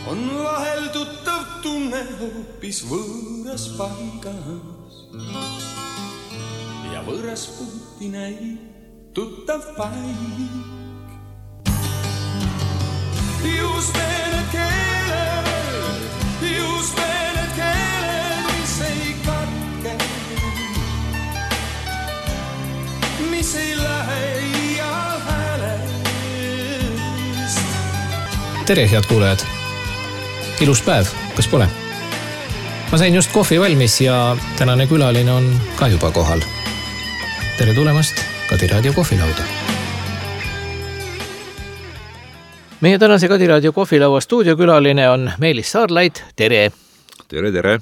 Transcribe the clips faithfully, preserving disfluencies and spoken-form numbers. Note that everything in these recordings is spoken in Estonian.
on vahel tuttav tunne hoopis võõras paigas ja võõras puuti näib tuttav paik. Just need keeled, just need keeled, mis ei katke, mis ei lähe iial häälest. Tere, head kuulajad! Ilus päev, kas pole? Ma sain just kohvi valmis ja tänane külaline on ka juba kohal. Tere tulemast Kadiraadio kohvilauda. Meie tänase Kadiraadio kohvilaua stuudiokülaline on Meelis Saarlaid. Tere! Tere, tere!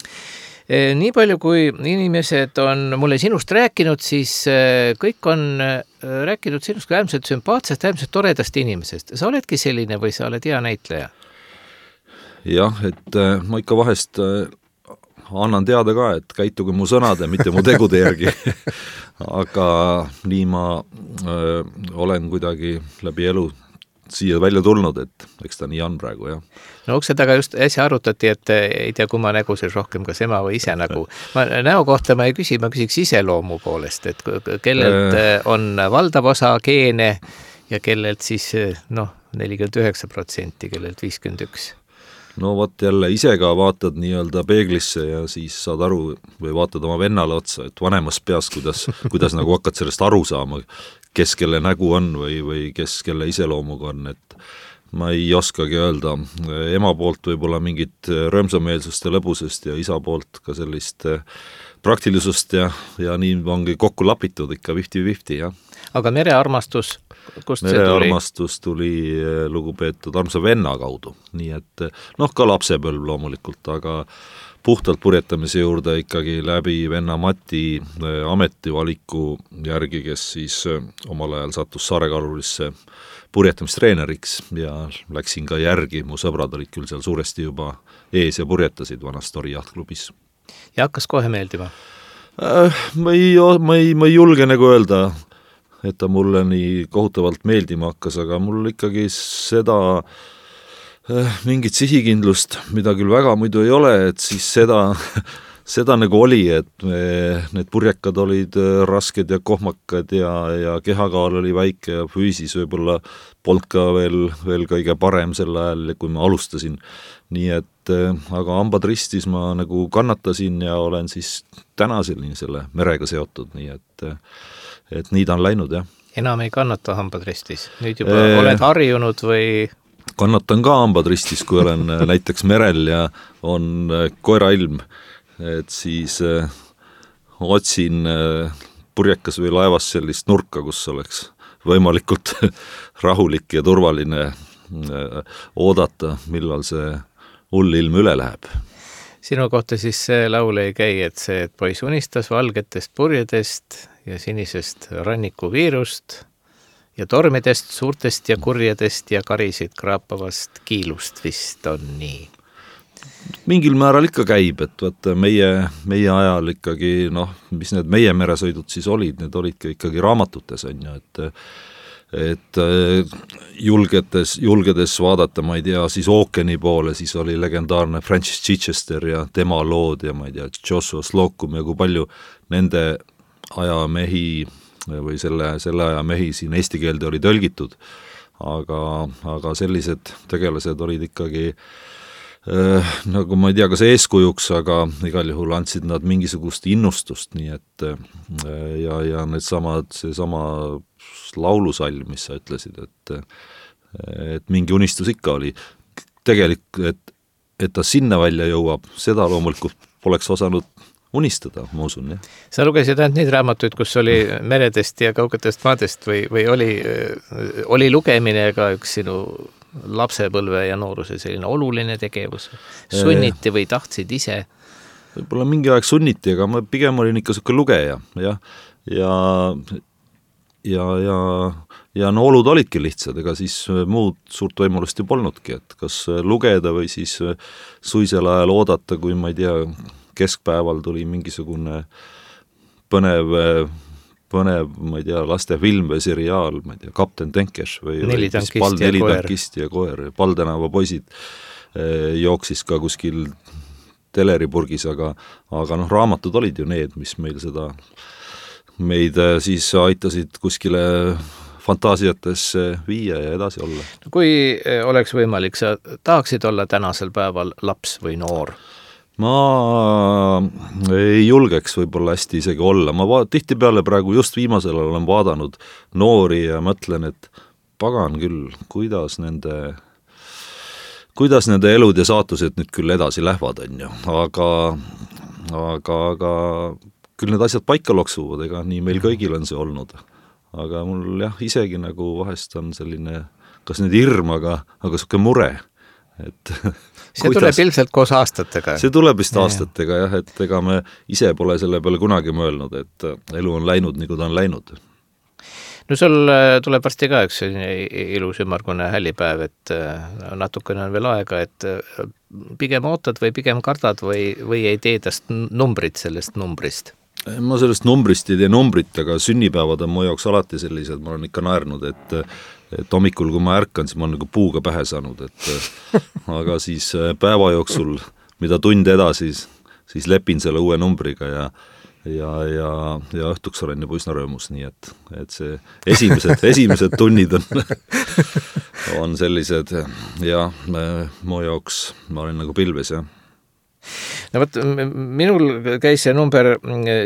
Nii palju kui inimesed on mulle sinust rääkinud, siis kõik on rääkinud sinust ka äärmiselt sümpaatsest, äärmiselt toredast inimesest. Sa oledki selline või sa oled hea näitleja? Jah, et ma ikka vahest annan teada ka, et käituge mu sõnade, mitte mu tegude järgi. Aga nii ma öö, olen kuidagi läbi elu siia välja tulnud, et eks ta nii on praegu, jah. No ukse taga just äsja arutati, et ei tea, kumma nägu siis rohkem, kas ema või ise nägu. Ma näo kohta ma ei küsi, ma küsiks iseloomu poolest, et kellelt on valdav osa geene ja kellelt siis noh, nelikümmend üheksa protsenti, kellelt viiskümmend üks. No vot jälle ise ka vaatad nii-öelda peeglisse ja siis saad aru või vaatad oma vennale otsa, et vanemas peas, kuidas, kuidas nagu hakkad sellest aru saama, kes kelle nägu on või, või kes kelle iseloomuga on, et ma ei oskagi öelda. Ema poolt võib-olla mingit rõõmsameelsust ja lõbusest ja isa poolt ka sellist praktilisust ja, ja nii ongi kokku lapitud ikka fifty-fifty, jah. Aga merearmastus, kust see tuli? Merearmastus tuli lugupeetud armsa venna kaudu, nii et noh, ka lapsepõlv loomulikult, aga puhtalt purjetamise juurde ikkagi läbi venna Mati ametivaliku järgi, kes siis omal ajal sattus Saarekalurisse purjetamistreeneriks ja läksin ka järgi, mu sõbrad olid küll seal suuresti juba ees ja purjetasid vanas Tori jahtklubis. Ja hakkas kohe meeldima? Äh, ma, ei, ma, ei, ma ei julge nagu öelda, et ta mulle nii kohutavalt meeldima hakkas, aga mul ikkagi seda mingit sihikindlust, mida küll väga muidu ei ole, et siis seda, seda nagu oli, et me, need purjekad olid rasked ja kohmakad ja, ja kehakaal oli väike ja füüsis võib-olla polnud ka veel, veel kõige parem sel ajal, kui ma alustasin. Nii et, aga hambad ristis ma nagu kannatasin ja olen siis täna selline selle merega seotud, nii et, et nii ta on läinud, jah. Enam ei kannata hambad ristis? Nüüd juba e... oled harjunud või... Kannatan ka hambad ristis, kui olen näiteks merel ja on koerailm, et siis äh, otsin äh, purjekas või laevas sellist nurka, kus oleks võimalikult rahulik ja turvaline äh, oodata, millal see hull ilm üle läheb. Sinu kohta siis see laul ei käi, et see, et poiss unistas valgetest purjedest ja sinisest rannikuviirust ja tormidest, suurtest ja kurjedest ja karisid kraapavast kiilust vist on nii. Mingil määral ikka käib, et vaata meie, meie ajal ikkagi, noh, mis need meie meresõidud siis olid, need olid ka ikkagi raamatutes, on ju, et, et julgedes, julgedes vaadata, ma ei tea, siis ookeani poole, siis oli legendaarne Francis Chichester ja tema lood ja ma ei tea, Joshua Slocum ja kui palju nende aja mehi või selle, selle aja mehi siin eesti keelde oli tõlgitud, aga, aga sellised tegelased olid ikkagi äh, nagu ma ei tea, kas eeskujuks, aga igal juhul andsid nad mingisugust innustust, nii et äh, ja, ja need samad, see sama laulusalm, mis sa ütlesid, et, et mingi unistus ikka oli. Tegelikult, et, et ta sinna välja jõuab, seda loomulikult poleks osanud unistada, ma usun, jah. Sa lugesid ainult neid raamatuid, kus oli meredest ja kaugetest maadest või, või oli, oli lugemine ka üks sinu lapsepõlve ja nooruse selline oluline tegevus? Sunniti või tahtsid ise? Võib-olla mingi aeg sunniti, aga ma pigem olin ikka selline lugeja, jah. Ja, ja, ja, ja no olud olidki lihtsad, ega siis muud suurt võimalust ju polnudki, et kas lugeda või siis suisel ajal oodata, kui ma ei tea, keskpäeval tuli mingisugune põnev, põnev, ma ei tea, lastefilm või seriaal, ma ei tea, Kapten Tenkeš või Neli tankist pal, ja neli koer. Tankist ja koer, Paldänava poisid. jooksis ka kuskil teleripurgis, aga, aga noh, raamatud olid ju need, mis meil seda, meid siis aitasid kuskile fantaasiatesse viia ja edasi olla. Kui oleks võimalik, sa tahaksid olla tänasel päeval laps või noor? Ma ei julgeks võib-olla hästi isegi olla. Ma va- tihtipeale praegu just viimasel olen vaadanud noori ja mõtlen, et pagan küll, kuidas nende kuidas nende elud ja saatused nüüd küll edasi lähevad, on ju, aga, aga, aga küll need asjad paika loksuvad, ega nii meil kõigil on see olnud. Aga mul jah, isegi nagu vahest on selline, kas nüüd hirm, aga, aga suke mure. Et see kuidas, tuleb ilmselt koos aastatega. See tuleb vist aastatega jah, et ega me ise pole selle peale kunagi mõelnud, et elu on läinud nii, kui ta on läinud. No sul tuleb varsti ka üks ilus ümmargune hällipäev, et natukene on veel aega, et pigem ootad või pigem kardad või, või ei tee tast numbrit sellest numbrist? Ma sellest numbrist ei tee numbrit, aga sünnipäevad on mu jaoks alati sellised, ma olen ikka naernud, et, et hommikul, kui ma ärkan, siis ma olen nagu puuga pähe saanud, et aga siis päeva jooksul, mida tund edasi, siis lepin selle uue numbriga ja ja, ja, ja õhtuks olen juba üsna rõõmus, nii et, et see esimesed, esimesed tunnid on, on sellised ja mu jaoks ma olen nagu pilves, jah. No võt, minul käis see number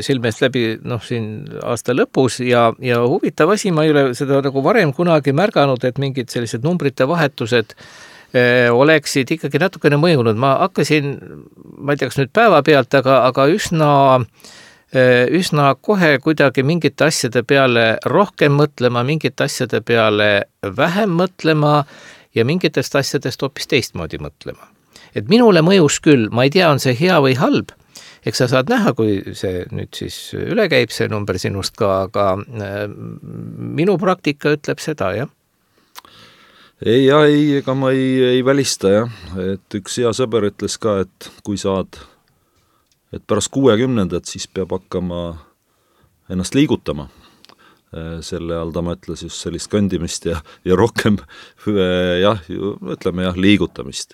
silmest läbi noh, siin aasta lõpus ja, ja huvitav asi, ma ei ole seda nagu varem kunagi märganud, et mingid sellised numbrite vahetused oleksid ikkagi natukene mõjunud. Ma hakkasin, ma ei tea, kas nüüd päeva pealt, aga, aga üsna üsna kohe kuidagi mingite asjade peale rohkem mõtlema, mingite asjade peale vähem mõtlema ja mingitest asjadest hoopis teistmoodi mõtlema. Et minule mõjus küll, ma ei tea, on see hea või halb, eks sa saad näha, kui see nüüd siis üle käib, see number sinust ka, aga minu praktika ütleb seda, jah? Ei, ja, ei, ega ma ei, ei välista, jah, et üks hea sõber ütles ka, et kui saad et pärast kuuekümnendat siis peab hakkama ennast liigutama. Selle all ta mõtles just sellist kõndimist ja, ja rohkem jah, ütleme jah, liigutamist.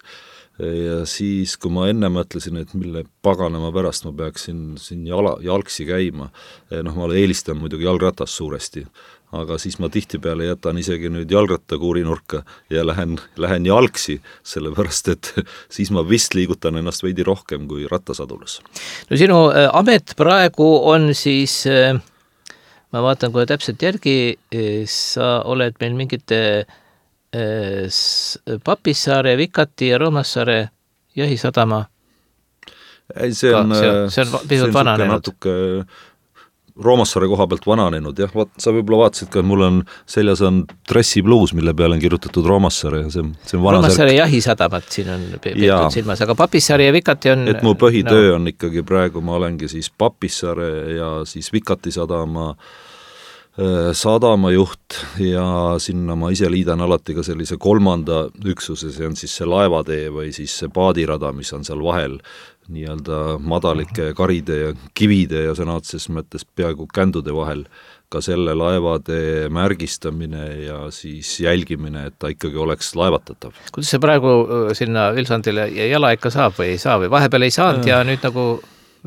Ja siis, kui ma enne mõtlesin, et mille paganama pärast ma peaksin siin jala, jalgsi käima, noh, ma eelistan muidugi jalgratas suuresti, aga siis ma tihtipeale jätan isegi nüüd jalgratta kuurinurka ja lähen, lähen jalgsi, sellepärast, et siis ma vist liigutan ennast veidi rohkem kui rattasadulus. No sinu amet praegu on siis, ma vaatan kohe täpselt järgi, sa oled meil mingite Papissaare, Vikati ja Roomassaare jahisadama. Ei, see on, see on, see on pisut vananenud. Natuke Roomassaare koha pealt vananenud, jah, vaat, sa võib-olla vaatasid ka, et mul on seljas on dressibluus, mille peale on kirjutatud Roomassaare ja see, see on vana Roomassaare jahisadamat siin on peetud silmas, aga Papissaare ja Vikati on... Et mu põhitöö no. on ikkagi praegu, ma olengi siis Papissaare ja siis Vikati sadama sadama juht ja sinna ma ise liidan alati ka sellise kolmanda üksuse, see on siis see laevatee või siis see paadirada, mis on seal vahel nii-öelda madalike karide ja kivide ja sõna otseses mõttes peaaegu kändude vahel, ka selle laevatee märgistamine ja siis jälgimine, et ta ikkagi oleks laevatatav. Kuidas see praegu sinna Vilsandile jala ikka saab või ei saa või vahepeal ei saanud ja, ja nüüd nagu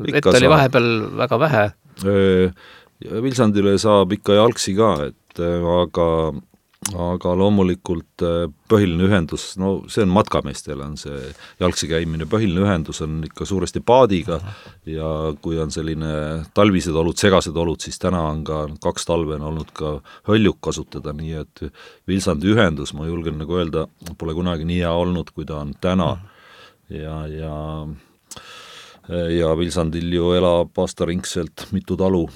vett oli vahepeal väga vähe? Vilsandile saab ikka jalgsi ka, et aga, aga loomulikult põhiline ühendus, no see on matkameestele on see jalgsi käimine, põhiline ühendus on ikka suuresti paadiga ja kui on selline talvised olud, segased olud, siis täna on ka kaks talve on olnud ka hõljuk kasutada, nii et Vilsandi ühendus, ma julgen nagu öelda, pole kunagi nii hea olnud, kui ta on täna ja, ja ja Vilsandil ju elab aastaringselt mitu talu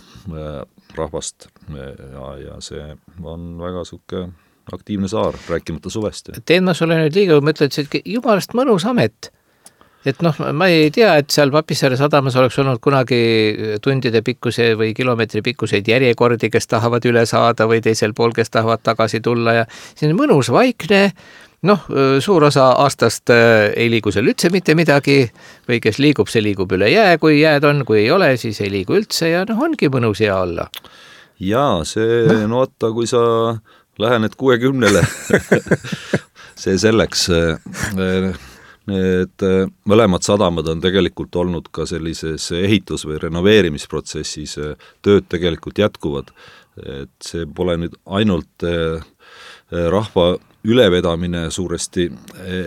rahvast ja, ja see on väga suke aktiivne saar, rääkimata suvest. Teen ma sulle nüüd liiga, ma ütlen, et jumalast mõnus amet. Et noh, ma ei tea, et seal Papissaare sadamas oleks olnud kunagi tundide pikkuse või kilomeetri pikkuseid järjekordi, kes tahavad üle saada või teisel pool, kes tahavad tagasi tulla ja see on mõnus vaikne. Noh, suur osa aastast ei liigu seal üldse mitte midagi või kes liigub, see liigub üle jää, kui jääd on, kui ei ole, siis ei liigu üldse ja noh, ongi mõnus hea olla. Jaa, see, no, no oota, kui sa lähened kuuekümnele, see selleks, need mõlemad sadamad on tegelikult olnud ka sellises ehitus- või renoveerimisprotsessis, tööd tegelikult jätkuvad, et see pole nüüd ainult rahva ülevedamine suuresti,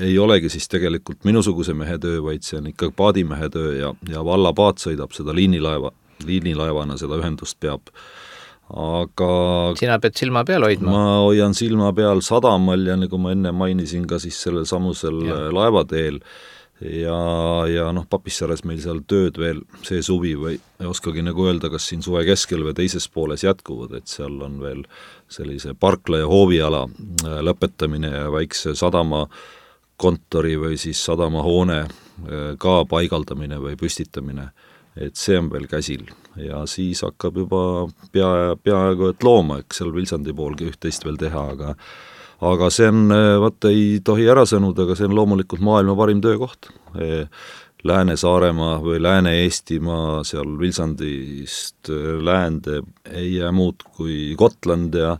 ei olegi siis tegelikult minusuguse mehe töö, vaid see on ikka paadimehe töö ja, ja vallapaat sõidab seda liinilaeva, liinilaevana seda ühendust peab. Aga sina pead silma peal hoidma? Ma hoian silma peal sadamal ja nagu ma enne mainisin ka siis sellel samusel ja. laevateel ja, ja noh, Papissaares meil seal tööd veel see suvi või ei oskagi nagu öelda, kas siin suve keskel või teises pooles jätkuvad, et seal on veel sellise parkla ja hooviala lõpetamine ja väikse sadama kontori või siis sadama hoone ka paigaldamine või püstitamine, et see on veel käsil ja siis hakkab juba pea, peaaegu et looma, eks seal Vilsandi poolgi üht-teist veel teha, aga aga see on, vaat ei tohi ära sõnuda, aga see on loomulikult maailma parim töökoht. Lääne-Saaremaa või Lääne-Eestimaa seal Vilsandist läände ei jää muud kui Gotland ja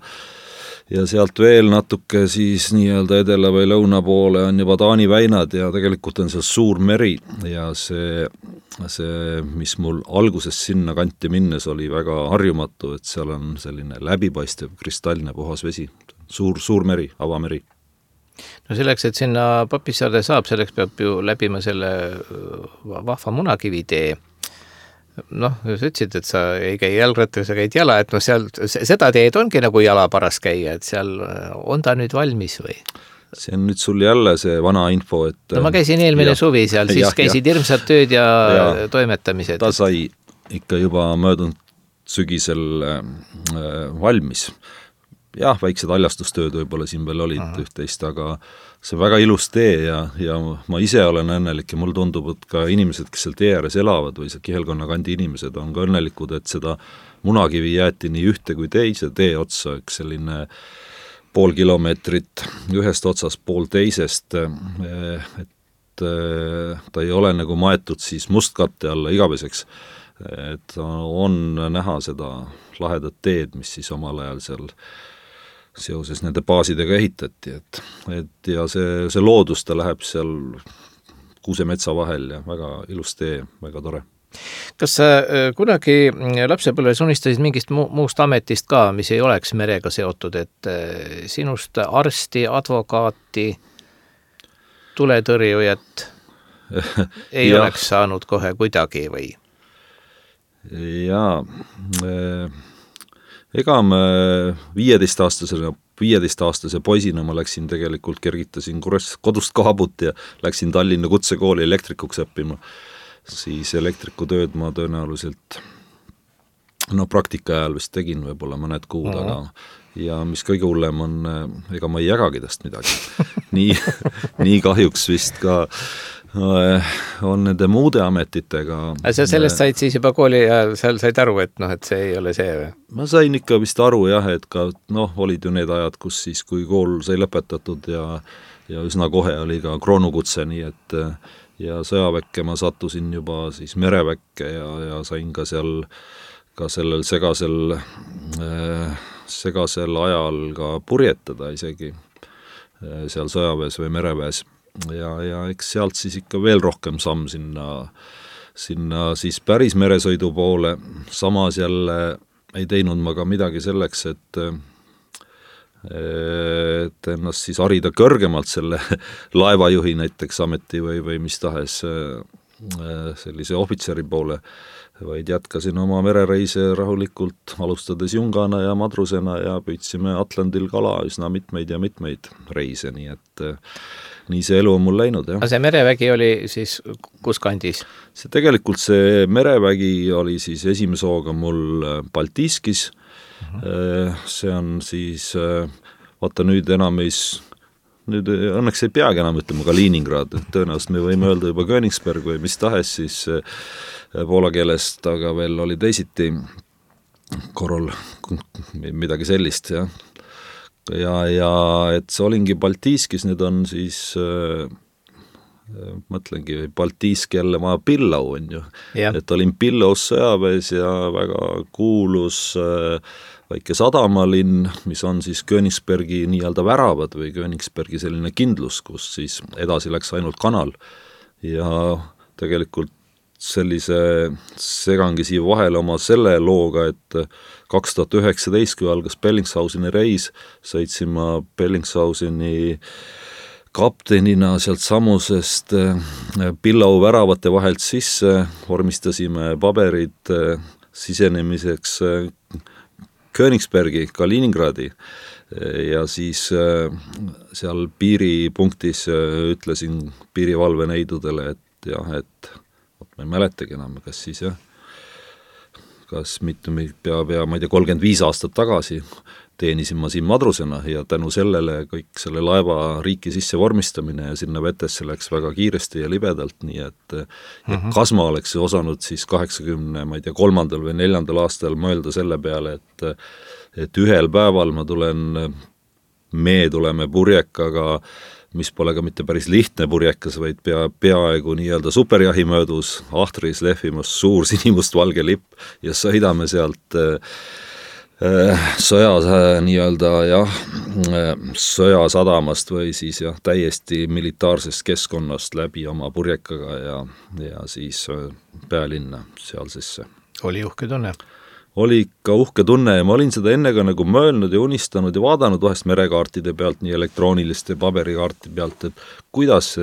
ja sealt veel natuke siis nii-öelda edela või lõuna poole on juba Taani väinad ja tegelikult on seal suur meri ja see, see, mis mul alguses sinna kanti minnes oli väga harjumatu, et seal on selline läbipaistev kristallne puhas vesi, suur, suur meri, avameri. No selleks, et sinna Papissaarde saab, selleks peab ju läbima selle vahva munakivitee. Noh, sa ütlesid, et sa ei käi jalgrattaga, sa käid jala, et no seal, seda teed ongi nagu jala paras käia, et seal on ta nüüd valmis või? See on nüüd sul jälle see vana info, et no ma käisin eelmine ja, suvi seal, siis ja, käisid ja. hirmsad tööd ja, ja toimetamised. Ta sai ikka juba möödunud sügisel äh, valmis. Jah, väiksed haljastustööd võib-olla siin veel olid Aha. üht-teist, aga see on väga ilus tee ja, ja ma ise olen õnnelik ja mul tundub, et ka inimesed, kes seal tee ääres elavad või see Kihelkonna kandi inimesed on ka õnnelikud, et seda munakivi jäeti nii ühte kui teise tee otsa, üks selline pool kilomeetrit ühest otsast pool teisest, et ta ei ole nagu maetud siis mustkatte alla igaveseks, et on näha seda lahedat teed, mis siis omal ajal seal seoses nende baasidega ehitati, et, et ja see, see loodus, ta läheb seal kuusemetsa vahel ja väga ilus tee, väga tore. Kas sa kunagi lapsepõlves unistasid mingist mu- muust ametist ka, mis ei oleks merega seotud, et sinust arsti, advokaati, tuletõrjujat ei ja. oleks saanud kohe kuidagi või? Jaa, ega me viieteistaastasena, viieteistaastase poisina ma läksin tegelikult, kergitasin kodust kaabut ja läksin Tallinna kutsekooli elektrikuks õppima. Siis elektrikutööd ma tõenäoliselt no praktika ajal vist tegin võib-olla mõned kuud, mm-hmm. aga ja mis kõige hullem on, ega ma ei jagagi tast midagi. nii, nii kahjuks vist ka on nende muude ametitega. Aga sa sellest said siis juba kooli ja seal said aru, et noh, et see ei ole see või? Ma sain ikka vist aru jah, et ka noh, olid ju need ajad, kus siis kui kool sai lõpetatud ja, ja üsna kohe oli ka kroonukutse, nii et ja sõjaväkke ma sattusin juba siis mereväkke ja, ja sain ka seal ka sellel segasel äh, segasel ajal ka purjetada isegi äh, seal sõjaväes või mereväes. Ja, ja eks sealt siis ikka veel rohkem samm sinna, sinna siis päris meresõidu poole, samas jälle ei teinud ma ka midagi selleks, et, et ennast siis harida kõrgemalt selle laevajuhi näiteks ameti või, või mis tahes sellise ohvitseri poole, vaid jätkasin oma merereise rahulikult, alustades jungana ja madrusena ja püüdsime Atlandil kala üsna mitmeid ja mitmeid reise, nii et nii see elu on mul läinud, jah. Aga see merevägi oli siis kus kandis? See tegelikult see merevägi oli siis esimese hooga mul Baltiiskis, uh-huh. see on siis, vaata nüüd enam ei, nüüd õnneks ei peagi enam ütlema ka Leningrad, tõenäoliselt me võime öelda juba Königsberg või mis tahes siis poola keelest, aga veel oli teisiti korral midagi sellist, jah. Ja, ja et see olingi Baltiiskis, need on siis äh, mõtlengi, Baltiisk jälle maa Pillau on ju, yeah. et olin Pillaus sõjaväes ja väga kuulus äh, väike sadamalinn, mis on siis Königsbergi nii-öelda väravad või Königsbergi selline kindlus, kus siis edasi läks ainult kanal ja tegelikult sellise segangi siia vahele oma selle looga, et kaks tuhat üheksateist, kui algas Bellingshauseni reis, sõitsin ma Bellingshauseni kaptenina sealt samusest Pillau väravate vahelt sisse, vormistasime paberid sisenemiseks Königsbergi, Kaliningradi ja siis seal piiripunktis ütlesin piirivalveneidudele, et jah, et ma ei mäletagi enam, kas siis jah, kas mitte pea, pea, ma ei tea, kolmkümmend viis aastat tagasi teenisin ma siin madrusena ja tänu sellele kõik selle laeva riiki sisse vormistamine ja sinna vetesse läks väga kiiresti ja libedalt, nii et uh-huh. kas ma oleks osanud siis kaheksakümne, ma ei tea, kolmandal või neljandal aastal mõelda selle peale, et et ühel päeval ma tulen, me tuleme purjekaga, mis pole ka mitte päris lihtne purjekas, vaid pea, peaaegu nii-öelda superjahi möödus, ahtris lehvimas suur sinimust-valge lipp ja sõidame sealt äh, sõja nii-öelda jah, sõjasadamast või siis jah, täiesti militaarsest keskkonnast läbi oma purjekaga ja, ja siis pealinna seal sisse. Oli uhke tunne? Oli ikka uhke tunne ja ma olin seda enne ka nagu mõelnud ja unistanud ja vaadanud vahest merekaartide pealt, nii elektrooniliste paberikaarti pealt, et kuidas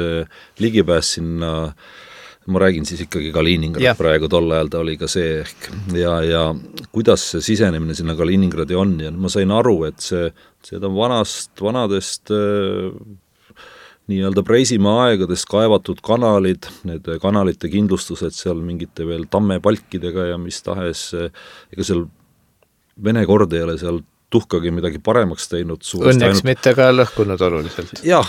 ligipääs sinna, ma räägin siis ikkagi Kaliningrad ja. Praegu tol ajal ta oli ka see ehk ja, ja kuidas see sisenemine sinna Kaliningradi on ja ma sain aru, et see, seda vanast, vanadest nii-öelda Preisimaa aegadest kaevatud kanalid, need kanalite kindlustused seal mingite veel tammepalkidega ja mis tahes, ega seal Vene kord ei ole seal tuhkagi midagi paremaks teinud. Õnneks ainult... mitte ka lõhkunud oluliselt. Jah,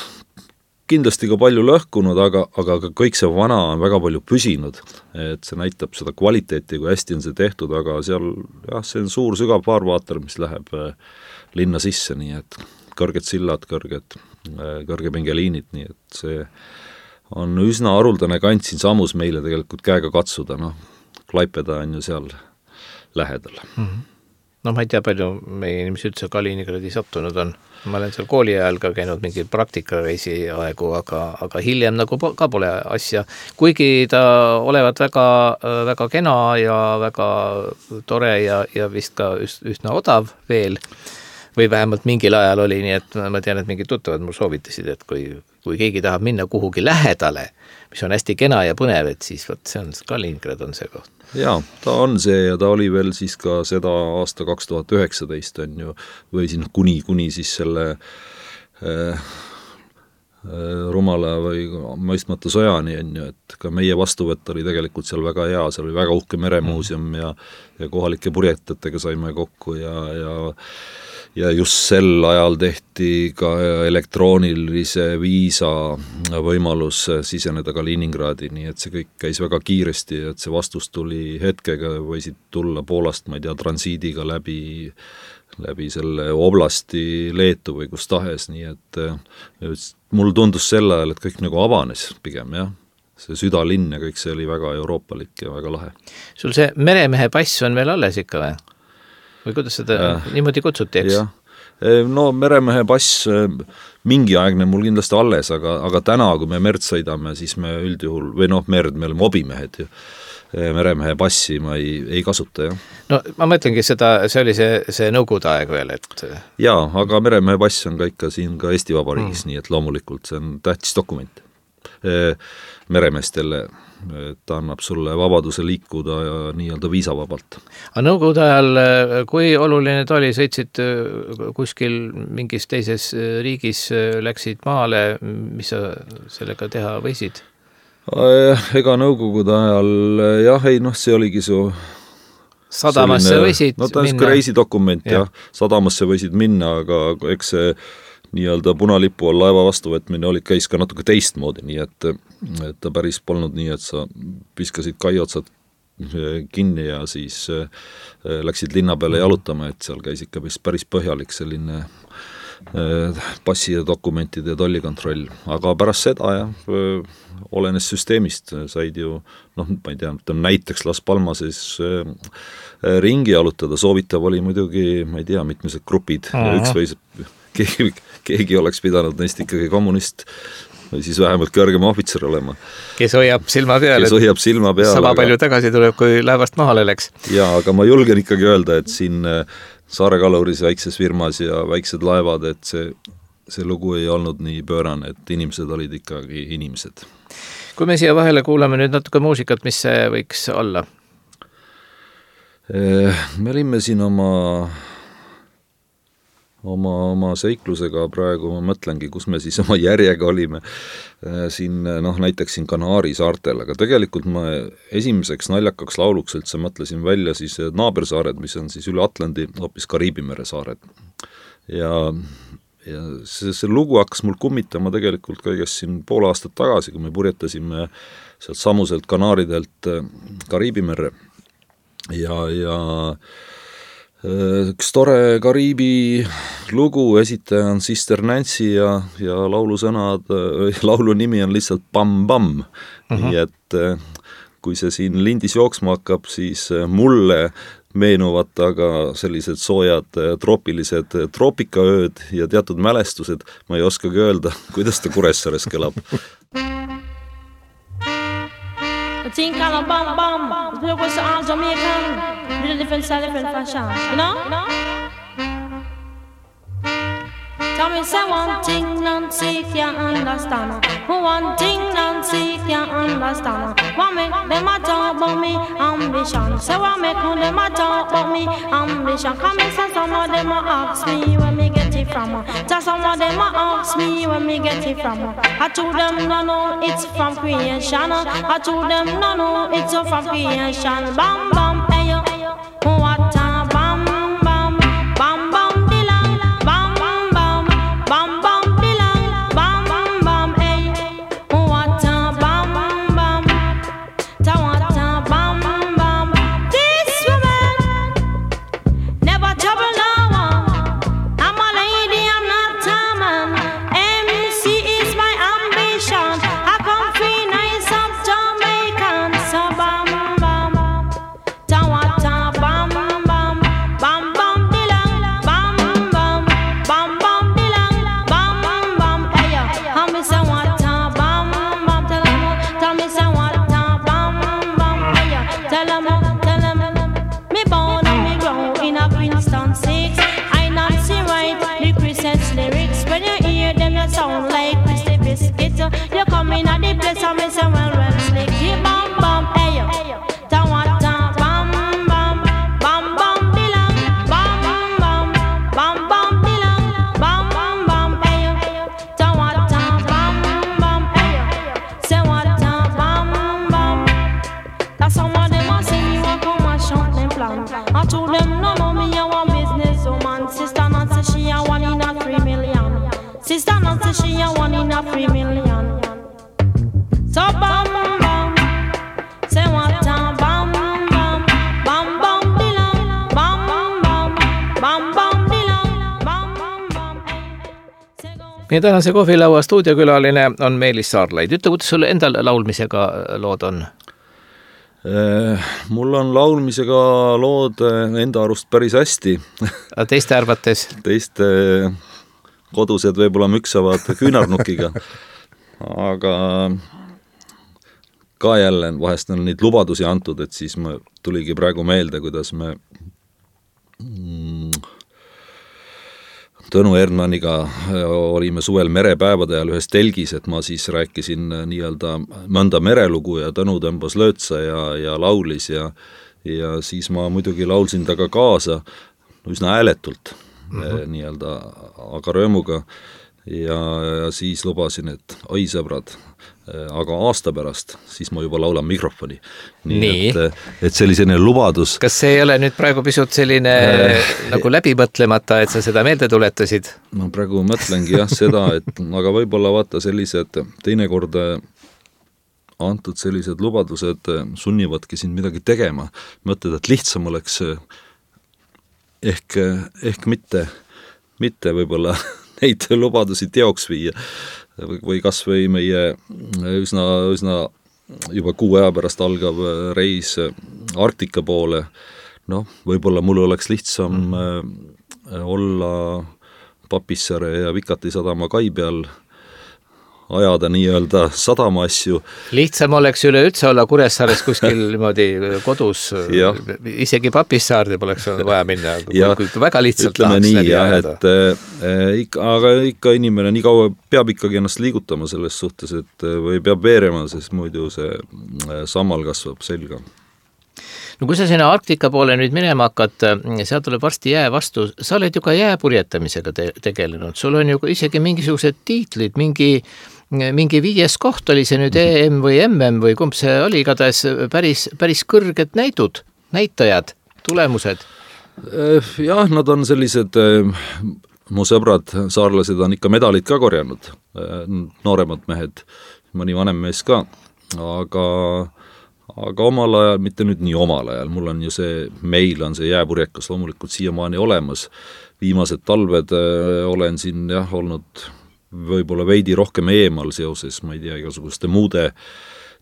kindlasti ka palju lõhkunud, aga, aga ka kõik see vana on väga palju püsinud, et see näitab seda kvaliteeti, kui hästi on see tehtud, aga seal jah, see on suur sügav faarvaater, mis läheb linna sisse, nii et kõrged sillad, kõrged kõrgepingeliinid, nii et see on üsna haruldane kant siin samus meile tegelikult käega katsuda, noh, Klaipeda on ju seal lähedal. Mm-hmm. No ma ei tea, palju meie inimesi üldse Kaliningradi sattunud on. Ma olen seal kooli ajal ka käinud mingi praktikareisi aegu, aga, aga hiljem nagu ka pole asja. Kuigi ta olevat väga, väga kena ja väga tore ja, ja vist ka üsna odav veel, või vähemalt mingil ajal oli, nii et ma tean, et mingid tuttavad mul soovitasid, et kui, kui keegi tahab minna kuhugi lähedale, mis on hästi kena ja põnev, et siis võt, see on Kaliningrad on see koht. Jaa, ta on see ja ta oli veel siis ka seda aasta kaks tuhat üheksateist on ju, või siin kuni, kuni siis selle äh, rumala või mõistmata sõjani on ju, et ka meie vastuvõtt oli tegelikult seal väga hea, seal oli väga uhke meremuuseum ja, ja kohalike purjetajatega saime kokku ja, ja ja just sel ajal tehti ka elektroonilise viisa võimalus siseneda Kaliningradi, nii et see kõik käis väga kiiresti, et see vastus tuli hetkega, võisid tulla Poolast, ma ei tea, transiidiga läbi, läbi selle oblasti Leetu või kus tahes, nii et mul tundus sel ajal, et kõik nagu avanes pigem, jah. See südalinn ja kõik see oli väga euroopalik ja väga lahe. Sul see meremehe pass on veel alles ikka või? Või kuidas seda äh, niimoodi kutsuti, eks? Jah. No meremehe pass mingi aegne mul kindlasti alles, aga, aga täna, kui me merd sõidame, siis me üldjuhul, või noh, merd, me oleme obimehed ju, meremehe passi ma ei, ei kasuta, jah. No ma mõtlengi seda, see oli see, see nõukogude aeg veel, et... Jaa, aga meremehe pass on ka ikka siin ka Eesti Vabariigis, mm. nii et loomulikult see on tähtis dokument meremeestele, ta annab sulle vabaduse liikuda ja nii-öelda viisavabalt. Aga nõukogude ajal, kui oluline ta oli, sõitsid kuskil mingis teises riigis, läksid maale, mis sa sellega teha võisid? Ega nõukogude ajal, jah, ei, noh, see oligi su sadamasse selline, võisid no, ta on minna. Reisidokument, ja. jah, sadamasse võisid minna, aga eks see nii-öelda punalipu all laeva vastuvõtmine oli, käis ka natuke teistmoodi, nii et, et ta päris polnud nii, et sa viskasid kaiotsad kinni ja siis läksid linna peale jalutama, et seal käis ikka päris põhjalik selline passi ja dokumentide ja tollikontroll, aga pärast seda jah, olenes süsteemist, said ju noh, ma ei tea, näiteks Las Palmases ringi jalutada, soovitav oli muidugi, ma ei tea, mitmesed grupid Aha. ja üks või keegi, keegi oleks pidanud neist ikkagi kommunist või siis vähemalt kõrgema ohvitser olema. Kes hoiab silma peal, kes hoiab silma peal, sama aga... palju tagasi tuleb, kui laevast mahale läks. Jaa, aga ma julgen ikkagi öelda, et siin Saare Kaluris väikses firmas ja väiksed laevad, et see, see lugu ei olnud nii pöörane, et inimesed olid ikkagi inimesed. Kui me siia vahele kuulame nüüd natuke muusikat, mis see võiks olla? Me olime siin oma oma, oma seiklusega praegu, ma mõtlengi, kus me siis oma järjega olime siin, noh näiteks siin Kanaari saartel, aga tegelikult ma esimeseks naljakaks lauluks üldse mõtlesin välja siis naabersaared, mis on siis üle Atlandi, hoopis Kariibi mere saared. Ja, ja see, see lugu hakkas mul kummitama tegelikult kõigest siin pool aastat tagasi, kui me purjetasime sealt samuselt Kanaaridelt Kariibi merre ja, ja üks tore Kariibi lugu, esitaja on Sister Nancy ja, ja laulu sõnad, laulu nimi on lihtsalt Bam Bam. Uh-huh. Nii et kui see siin lindis jooksma hakkab, siis mulle meenuvad aga sellised soojad troopilised troopikaööd ja teatud mälestused, ma ei oskagi öelda, kuidas ta Kuressaares kõlab. Think kind of bam bam, the was all Jamaican, little different style, different fashion, you know? You know? Tell me say one thing Nancy can't understand, one thing Nancy can't understand. What make them a talk about me ambition? Say what make them a talk about me ambition? Come and say some of them a ask me where me get it from. Tell some of them a ask me where me get it from. I told them no no it's from creation. I told them no no it's from creation. Bam bam hey yo, what a bam bam bam bam. Meie tänase kohvilaua stuudiokülaline on Meelis Saarlaid. Ütle, kuidas sul endal laulmisega lood on? Mul on laulmisega lood enda arust päris hästi. A teiste arvates? Teiste kodused võib-olla müksavad küünarnukiga. Aga ka jälle vahest on neid lubadusi antud, et siis ma tuligi praegu meelde, kuidas me mm, Tõnu Erdmaniga olime suvel merepäevade ajal ühes telgis, et ma siis rääkisin nii-öelda mõnda merelugu ja Tõnu tõmbas löötsa ja, ja laulis ja, ja siis ma muidugi laulsin taga kaasa üsna hääletult mm-hmm. nii-öelda aga röömuga ja, ja siis lubasin, et oi sõbrad, aga aasta pärast, siis ma juba laulan mikrofoni. Nii, Nii. Et, et sellisene lubadus. Kas see ei ole nüüd praegu pisut selline äh, nagu läbimõtlemata, et sa seda meelde tuletasid? Ma praegu mõtlengi jah seda, et aga võib-olla vaata sellised teinekord antud sellised lubadused sunnivadki sind midagi tegema. Mõtled, et lihtsam oleks ehk, ehk mitte, mitte võib-olla neid lubadusi teoks viia või kas või meie üsna, üsna juba kuu aja pärast algav reis Arktika poole, noh, võib-olla mul oleks lihtsam mm. olla Papissaare ja Vikati sadama kai peal, ajada nii-öelda sadama asju. Lihtsam oleks üleüldse olla Kuressaares kuskil niimoodi kodus, isegi Papissaarde poleks vaja minna, kui väga lihtsalt tahaks nii, läbi ajada. Et, äh, ikka, aga ikka inimene nii kaua peab ikkagi ennast liigutama selles suhtes, et või peab veerema, sest muidu see sammal kasvab selga. No kui sa sinna Arktika poole nüüd minema hakkad, seal tuleb varsti jää vastu, sa oled ju ka jääpurjetamisega te- tegelenud, sul on ju isegi mingisugused tiitlid, mingi mingi viies koht oli see nüüd E M või M M või kumb see oli, igatahes päris, päris kõrged näidud, näitajad, tulemused. Jah, nad on sellised, mu sõbrad, saarlased on ikka medalid ka korjanud, nooremad mehed, mõni vanem mees ka, aga aga omal ajal, mitte nüüd nii omal ajal, mul on ju see, meil on see jääpurjekas loomulikult siiamaani olemas, viimased talved olen siin jah olnud võib-olla veidi rohkem eemal seoses, ma ei tea, igasuguste muude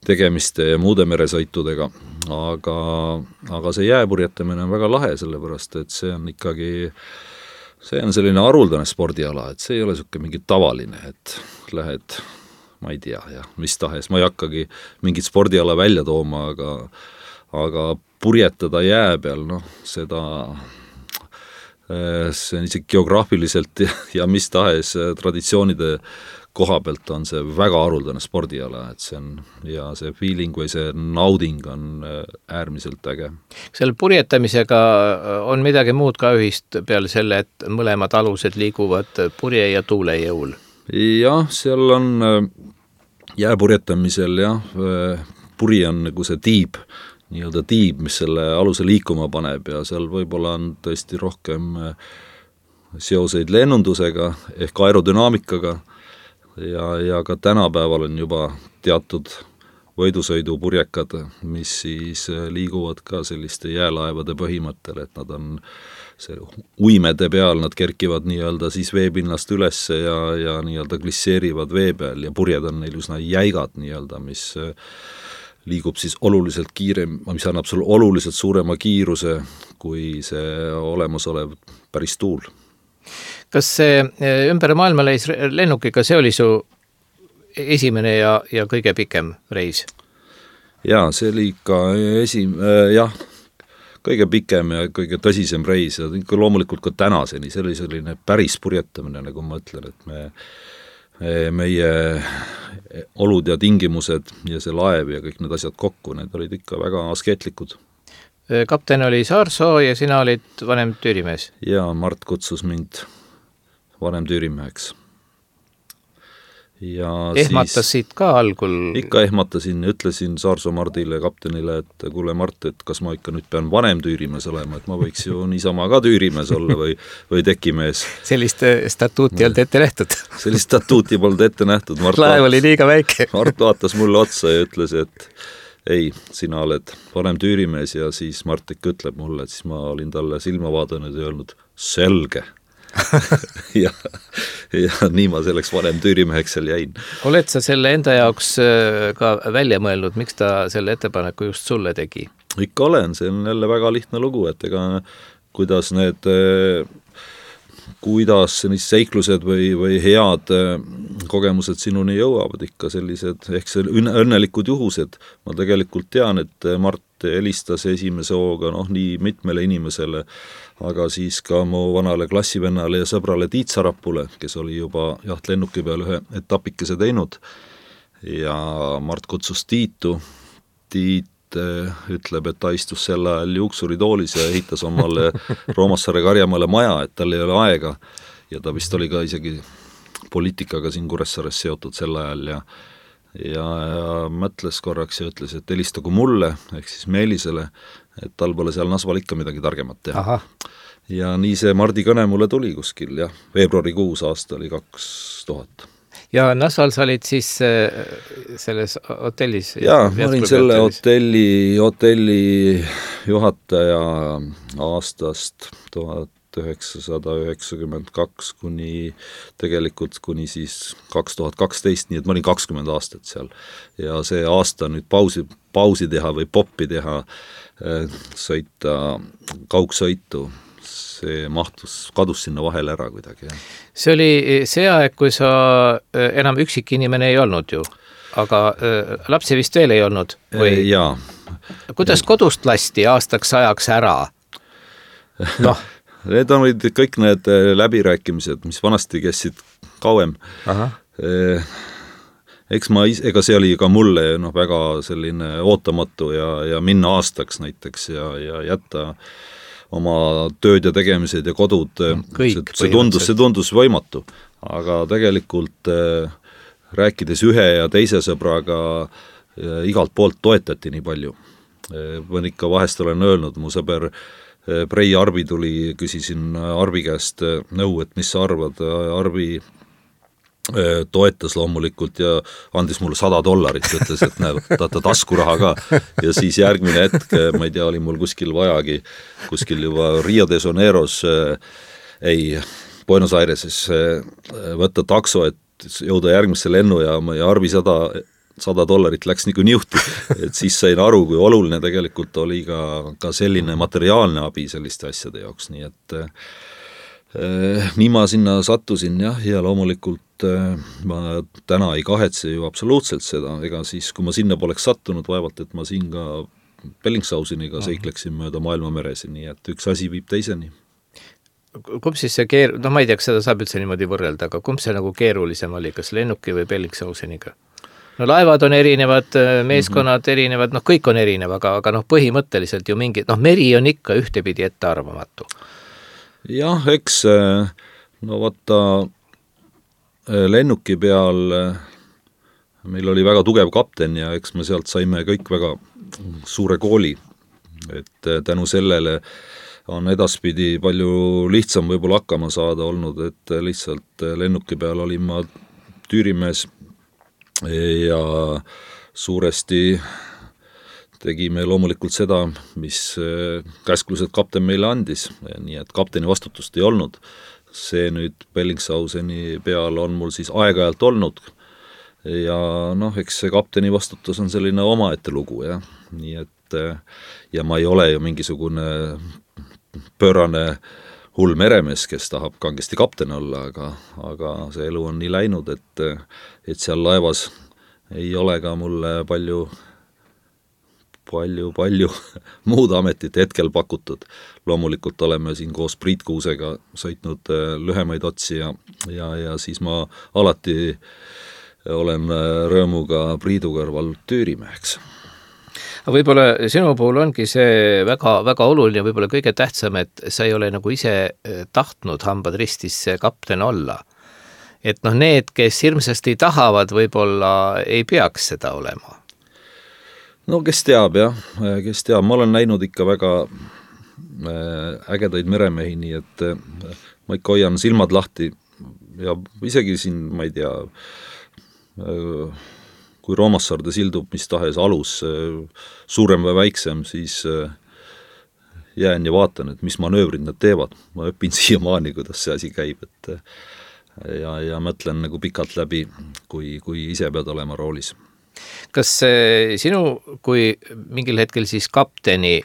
tegemiste ja muude meresõitudega, aga, aga see jääpurjetamine on väga lahe, sellepärast, et see on ikkagi, see on selline haruldane spordiala, et see ei ole selline mingi tavaline, et lähed, ma ei tea, jah, mis tahes, ma ei hakkagi mingit spordiala välja tooma, aga, aga purjetada jää peal, noh, seda see on isegi geograafiliselt ja, ja mis tahes traditsioonide koha pealt on see väga haruldane spordiala, et see on, ja see feeling või see nauding on äärmiselt äge. Selle purjetamisega on midagi muud ka ühist peale selle, et mõlemad alused liiguvad purje ja tuule jõul? Jah, seal on jääpurjetamisel jah, puri on nagu see tiib, nii-öelda tiib, mis selle aluse liikuma paneb ja seal võib-olla on tõesti rohkem seoseid lennundusega ehk aerodünaamikaga ja, ja ka tänapäeval on juba teatud võidusõidupurjekad, mis siis liiguvad ka selliste jäälaevade põhimõttel, et nad on see uimede peal, nad kerkivad nii-öelda siis veepinnast üles ja, ja nii-öelda glisseerivad vee peal ja purjed on neil üsna jäigad nii-öelda, mis liigub siis oluliselt kiirem, mis annab sul oluliselt suurema kiiruse kui see olemasolev päris tuul. Kas see ümber maailma leis lennukiga, see oli su esimene ja, ja kõige pikem reis? Jaa, see oli ikka esim-, jah, kõige pikem ja kõige tõsisem reis ja ikka loomulikult ka tänaseni, see oli selline päris purjetamine, nagu ma ütlen, et me meie olud ja tingimused ja see laev ja kõik need asjad kokku, need olid ikka väga askeetlikud. Kapten oli Saarsoo ja sina olid vanem tüürimees? Ja Mart kutsus mind vanem tüürimeheks. Ja ehmatasid siis, ka algul? Ikka ehmatasin, ütlesin Saarsoo Mardile, kaptenile, et kuule Mart, et kas ma ikka nüüd pean vanem tüürimees olema, et ma võiks ju niisama ka tüürimees olla või, või tekimees. Sellist statuuti olnud ette nähtud? Sellist statuuti polnud ette nähtud. Mart laev oli liiga väike. Mart vaatas mulle otsa ja ütles, et ei, sina oled vanem tüürimees ja siis Mart ikka ütleb mulle, et siis ma olin talle silma vaadanud ja öelnud, selge. ja, ja nii ma selleks vanem tüürimeheks seal jäin. Oled sa selle enda jaoks ka välja mõelnud, miks ta selle ettepaneku just sulle tegi? Ikka olen, see on jälle väga lihtne lugu, et ega kuidas need kuidas need seiklused või, või head kogemused sinuni jõuavad ikka sellised, ehk see õnnelikud juhused. Ma tegelikult tean, et Mart helistas esimese hooga noh, nii mitmele inimesele, aga siis ka mu vanale klassivennale ja sõbrale Tiit Sarapule, kes oli juba jaht lennuki peal ühe etapikese teinud ja Mart kutsus Tiitu. Tiit ütleb, et ta istus sel ajal juuksuritoolis ja ehitas omale Roomassaare Karjamaale maja, et tal ei ole aega ja ta vist oli ka isegi poliitikaga siin Kuressaares seotud sel ajal ja ja, ja mõtles korraks ja ütles, et helistagu mulle, ehk siis Meelisele, et tal pole seal Nasval ikka midagi targemat teha. Aha. Ja nii see Mardi kõne mulle tuli kuskil, jah, veebruarikuus aasta oli kaks tuhat. Ja Nasval sa olid siis selles hotellis? Jaa, ma olin selle hotelli, hotelli juhataja aastast tuhat üheksasada üheksakümmend kaks kuni tegelikult kuni siis kaks tuhat kaksteist, nii et ma olin kakskümmend aastat seal. Ja see aasta nüüd pausi, pausi teha või poppi teha, sõita kaugsõitu, see mahtus, kadus sinna vahele ära kuidagi. Jah. See oli see aeg, kui sa enam üksik inimene ei olnud ju, aga lapsi vist veel ei olnud? Või? Jaa. Kuidas kodust lasti aastaks ajaks ära? Noh. Need olid kõik need läbirääkimised, mis vanasti käisid kauem. Aha. Eks ma, ega see oli ka mulle no, väga selline ootamatu ja, ja minna aastaks näiteks ja, ja jätta oma tööd ja tegemised ja kodud. Kõik, see, see, tundus, see tundus võimatu, aga tegelikult äh, rääkides ühe ja teise sõbraga äh, igalt poolt toetati nii palju. Võin ikka vahest olen öelnud, mu sõber Prei Arbi tuli, küsisin Arbi käest nõu, et mis sa arvad, Arbi toetas loomulikult ja andis mulle sada dollarit, ütles, et näe, tahta taskuraha ka. Ja siis järgmine hetk, ma ei tea, oli mul kuskil vajagi, kuskil juba Rio de Janeiros, ei, Buenos Aireses võtta takso, et jõuda järgmisse lennujaama ja Arvi sada sada dollarit läks nagu niuhti, et siis sain aru, kui oluline tegelikult oli ka, ka selline materiaalne abi selliste asjade jaoks, nii et eh, nii ma sinna sattusin jah, ja loomulikult eh, ma täna ei kahetse ju absoluutselt seda, ega siis kui ma sinna poleks sattunud, vaevalt, et ma siin ka Bellingshauseniga seikleksin mööda maailmameresi, nii et üks asi viib teiseni. Kumb siis see keer-, no ma ei tea, kas seda saab üldse niimoodi võrrelda, aga kumb see nagu keerulisem oli, kas lennuki või Bellingshauseniga? No laevad on erinevad, meeskonnad mm-hmm. erinevad, noh kõik on erinev, aga, aga noh põhimõtteliselt ju mingi, noh meri on ikka ühtepidi ettearvamatu. Jah, eks no vaata lennuki peal meil oli väga tugev kapten ja eks me sealt saime kõik väga suure kooli, et tänu sellele on edaspidi palju lihtsam võib-olla hakkama saada olnud, et lihtsalt lennuki peal olin ma tüürimees ja suuresti tegime loomulikult seda, mis käsklused kapten meile andis, nii et kapteni vastutust ei olnud. See nüüd Bellingshauseni peal on mul siis aeg-ajalt olnud ja noh, eks see kapteni vastutus on selline omaette lugu, jah. Nii et ja ma ei ole ju mingisugune pöörane hull meremees, kes tahab kangesti kapten olla, aga, aga see elu on nii läinud, et, et seal laevas ei ole ka mulle palju, palju, palju muud ametit hetkel pakutud. Loomulikult oleme siin koos Priit Kuusega sõitnud lühemaid otsi ja, ja, ja siis ma alati olen rõõmuga Priidu kõrval tüürimeheks. Võib-olla sinu puhul ongi see väga, väga oluline, võib-olla kõige tähtsam, et sa ei ole nagu ise tahtnud hambad ristis kapten olla. Et noh, need, kes hirmsasti tahavad, võib-olla ei peaks seda olema. No kes teab, jah, kes teab, ma olen näinud ikka väga ägedaid meremehi, nii et ma ikka hoian silmad lahti ja isegi siin, ma ei tea, kui Roomassaarde sildub mis tahes alus, suurem või väiksem, siis jään ja vaatan, et mis manöövrid nad teevad. Ma õpin siiamaani, kuidas see asi käib, et ja, ja mõtlen nagu pikalt läbi, kui, kui ise pead olema roolis. Kas sinu, kui mingil hetkel siis kapteni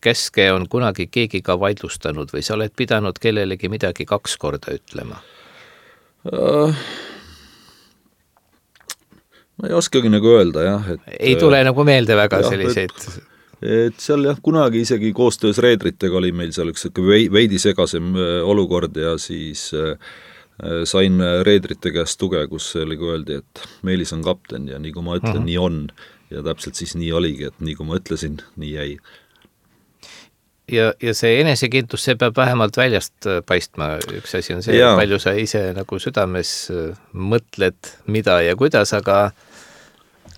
keske on kunagi keegi ka vaidlustanud või sa oled pidanud kellelegi midagi kaks korda ütlema? Uh... Ma ei oskagi nagu öelda, jah. Et, ei tule nagu meelde väga jah, selliseid. Et, et seal jah, kunagi isegi koostöös reedritega oli meil seal üks veidi segasem olukord ja siis äh, sain reedrite käest tuge, kus oli öeldi, et Meelis on kapten ja nii kui ma ütlen, uh-huh. nii on. Ja täpselt siis nii oligi, et nii kui ma ütlesin, nii jäi. Ja, ja see enesekintus, see peab vähemalt väljast paistma. Üks asi on see, ja. Palju sa ise nagu südames mõtled, mida ja kuidas, aga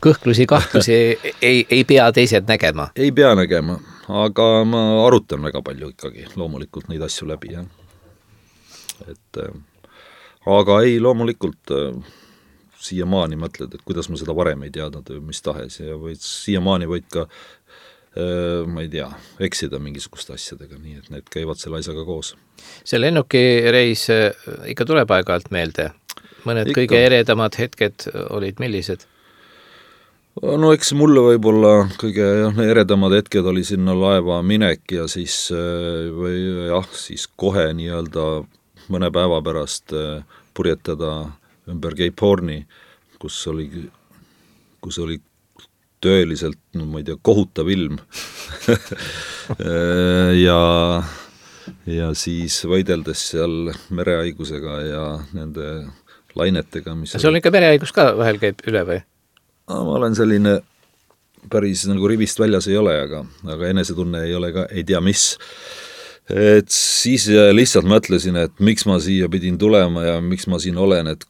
kõhklusi, kahtlusi ei, ei pea teised nägema. Ei pea nägema, aga ma arutan väga palju ikkagi loomulikult neid asju läbi. Ja. Et, aga ei, loomulikult siiamaani mõtled, et kuidas ma seda varem ei teadnud või mis tahes ja võid, siiamaani võid ka ma ei tea, eksida mingisuguste asjadega, nii et need käivad selle asjaga koos. See lennukireis ikka tuleb aeg-ajalt meelde. Mõned ikka. Kõige eredamad hetked olid millised? No eks mulle võib-olla kõige jah, eredamad hetked oli sinna laeva minek ja siis, või jah, siis kohe nii-öelda mõne päeva pärast purjetada ümber Cape Horni, kus oli, kus oli tõeliselt, no ma ei tea, kohutav ilm ja, ja siis võideldes seal merehaigusega ja nende lainetega, mis see on ikka merehaigus ka vahel käib üle või? No, ma olen selline päris nagu rivist väljas ei ole, aga, aga enesetunne ei ole ka, ei tea mis. Et siis lihtsalt mõtlesin, et miks ma siia pidin tulema ja miks ma siin olen, et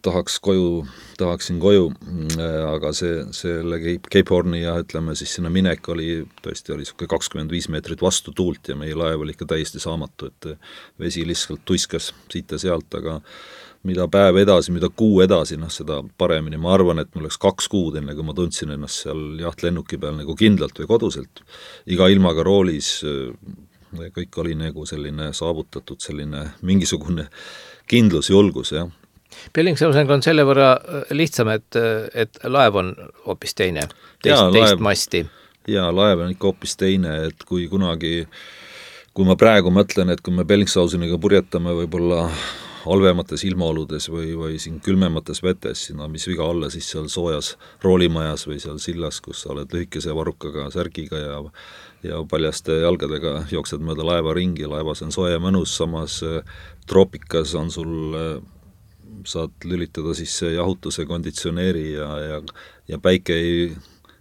tahaks koju, tahaksin koju, aga see, selle Cape Horni ja ütleme siis sinna minek oli, tõesti oli kakskümmend viis meetrit vastu tuult ja meie laev oli ikka täiesti saamatu, et vesi lihtsalt tuiskas siit ja sealt, aga mida päev edasi, mida kuu edasi, noh seda paremini. Ma arvan, et mul oleks kaks kuud enne, kui ma tundsin ennast seal jahtlennuki peal nagu kindlalt või koduselt. Iga ilmaga roolis kõik oli nagu selline saavutatud, selline mingisugune kindlus, julgus, jah. Bellingshausenga on selle võrra lihtsam, et, et laev on hoopis teine, teist, ja, teist laev, masti. Jaa, laev on ikka hoopis teine, et kui kunagi, kui ma praegu mõtlen, et kui me Bellingshausenega purjetame võib-olla halvemates ilmaoludes või, või siin külmemates vetes, no mis viga olla siis seal soojas roolimajas või seal sillas, kus sa oled lühikese varukaga, särgiga ja ja paljaste jalgadega jooksed mööda laeva ringi, laevas on soe mõnus, samas troopikas on sul, saad lülitada sisse jahutuse konditsioneeri ja, ja, ja päike ei,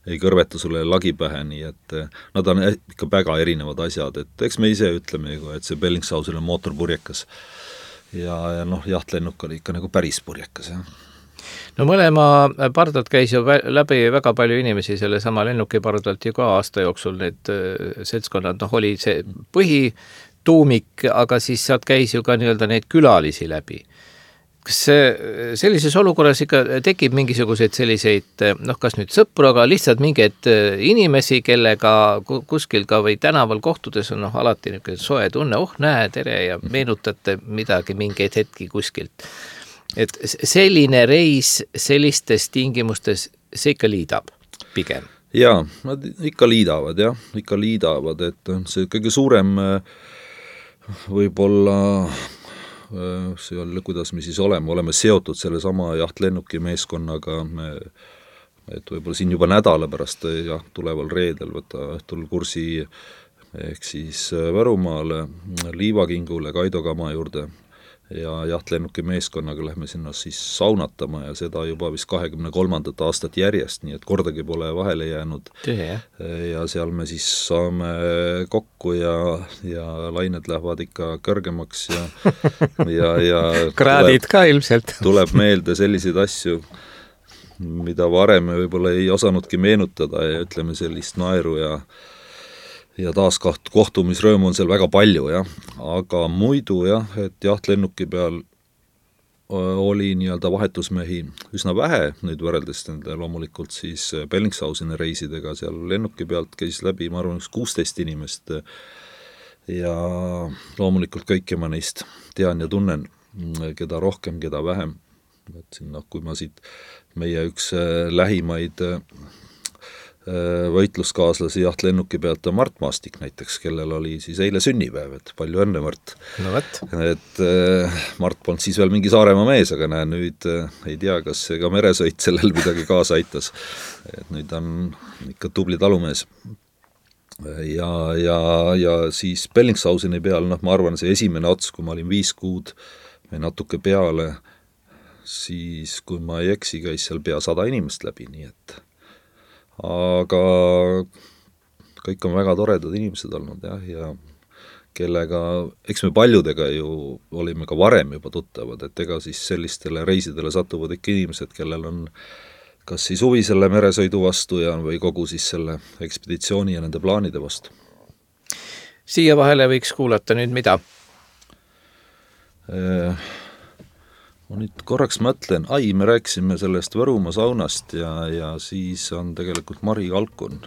ei kõrveta sulle lagi pähe, nii et nad on ikka väga erinevad asjad, et eks me ise ütleme, et see Bellingshausen on mootorpurjekas ja, ja noh, jahtlennuk oli ikka nagu päris purjekas, jah. No mõlema pardalt käis ju läbi väga palju inimesi, selle sama lennuki pardalt ju ka aasta jooksul need seltskonnad, noh oli see põhituumik, aga siis sealt käis ju ka nii-öelda neid külalisi läbi. Kas sellises olukorras ikka tekib mingisuguseid selliseid, noh kas nüüd sõpru, aga lihtsalt mingeid inimesi, kellega kuskil ka või tänaval kohtudes on noh, alati niisugune soe tunne, oh näe, tere ja meenutate midagi mingeid hetki kuskilt. Et selline reis sellistes tingimustes, see ikka liidab pigem? Jaa, nad ikka liidavad, jah, ikka liidavad, et see kõige suurem võib-olla see on, kuidas me siis oleme, oleme seotud selle sama jahtlennuki meeskonnaga, me, et võib-olla siin juba nädala pärast jah, tuleval reedel võtta õhtul kursi ehk siis Võrumaale, Liivakingule, Kaido Kama juurde ja jahtlennuki meeskonnaga lähme sinna siis saunatama ja seda juba vist kahekümne kolmandat aastat järjest, nii et kordagi pole vahele jäänud. Tühe. Ja seal me siis saame kokku ja, ja lained lähevad ikka kõrgemaks ja, ja, ja kraadid tuleb, ka ilmselt. Tuleb meelde selliseid asju, mida varem võib-olla ei osanudki meenutada ja ütleme sellist naeru ja ja taas kohtumisrõõmu on seal väga palju, jah. Aga muidu, jah, et jahtlennuki peal oli nii-öelda vahetusmehi üsna vähe, nüüd võrreldes nende loomulikult siis Bellingshauseni reisidega, seal lennuki pealt käis läbi, ma arvan, üks kuusteist inimest ja loomulikult kõike ma neist tean ja tunnen, keda rohkem, keda vähem. Et siin, noh, kui ma siit meie üks lähimaid võitluskaaslasi jahtlennuki pealt on Mart Maastik näiteks, kellel oli siis eile sünnipäev, et palju õnne, Mart. No võt. Et Mart polnud siis veel mingi Saaremaa mees, aga näe, nüüd ei tea, kas see ka meresõit sellel midagi kaasa aitas. Et nüüd on ikka tubli talumees. Ja, ja, ja siis Bellingshauseni peal, noh, ma arvan, see esimene ots, kui ma olin viis kuud või natuke peale, siis kui ma ei eksi, käis seal pea sada inimest läbi, nii et aga kõik on väga toredad inimesed olnud, jah, ja kellega, eks me paljudega ju olime ka varem juba tuttavad, et ega siis sellistele reisidele satuvad ikka inimesed, kellel on kas siis huvi selle meresõidu vastu ja või kogu siis selle ekspeditsiooni ja nende plaanide vastu. Siia vahele võiks kuulata nüüd mida? Ma nüüd korraks mõtlen, ai, me rääkisime sellest Võrumaa saunast ja, ja siis on tegelikult Mari Kalkun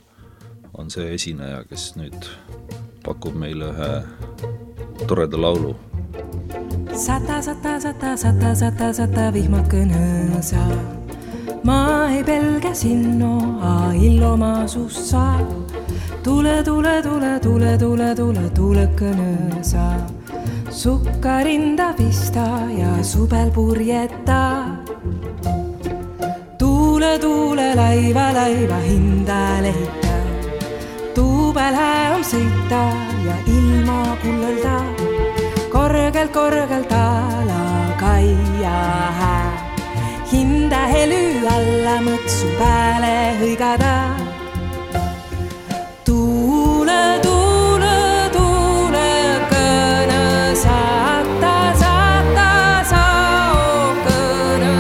on see esineja, kes nüüd pakub meile ühe toreda laulu. Sata, sata, sata, sata, sata, sata vihmakõne sa. Ma ei pelge sinnoa illoma sussa. Tule, tule, tule, tule, tule, tule, tule kõne sa. Sukkarinda pista ja subel purjeta. Tuule, tuule, laiva, laiva hinda lehita. Tuubel hää on sõita ja ilma kullelda. Korgelt, korgelt ala kaia hää. Hinda hely alla mõtsu pääle hõigada. Tuule, tuule, tuule kõne saata, saata sa o kõne.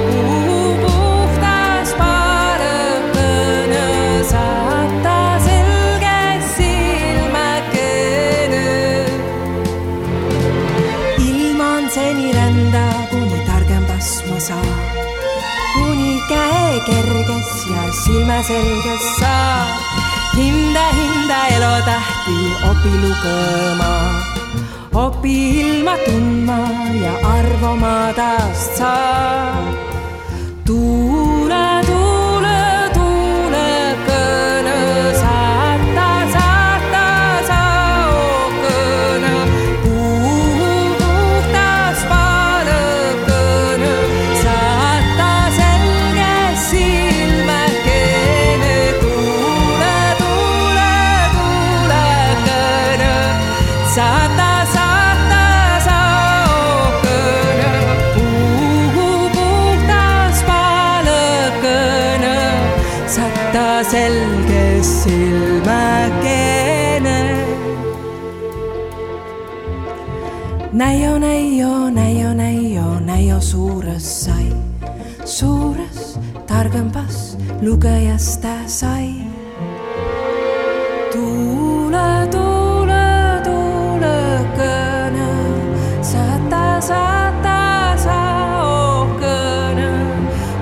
Kuhu puhtas paale kõne saata selge silmäkene. Ilman seni rända, kuni targem pasma saa. Kuni käe kerges ja silmä selges saa. Hinda, hinda elo tähti opi lugema. Opi ilma tundma ja arvoma taast saa. Tuule, tuule, tuule kõne saata, saata sa o kõne. Kuhu puhtas paale kõne saata selge silmäkene. Tuule, tuule, tuule kõne saata, saata sa o kõne. Kuhu puhtas paale kõne saata selge silmäkene. Näio, näio, näio, näio, näio suures sai. Suures targempas lugejasta sai. Tuule, tuule, tuule kõne saata, saata sa o kõne.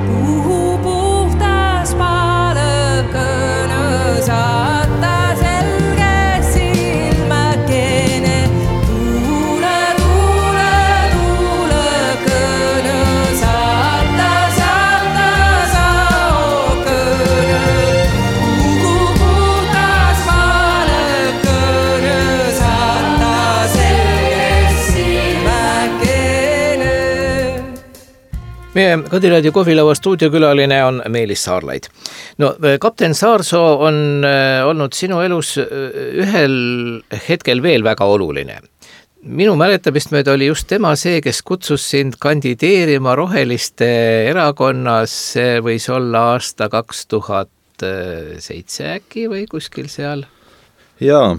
Kuhu puhtas paale kõne saata selge silmäkene. Tuule, tuule, tuule kõne saata, saata sa o kõne. Kuhu puhtas paale kõne saata selge silmäkene. Meie Kadiraadio kohvilaua stuudiokülaline on Meelis Saarlaid. No, kapten Saarsoo on äh, olnud sinu elus äh, ühel hetkel veel väga oluline. Minu mäletamist mööda oli just tema see, kes kutsus sind kandideerima Roheliste erakonnas, see võis olla aasta kaks tuhat seitse äkki või kuskil seal? Jaa,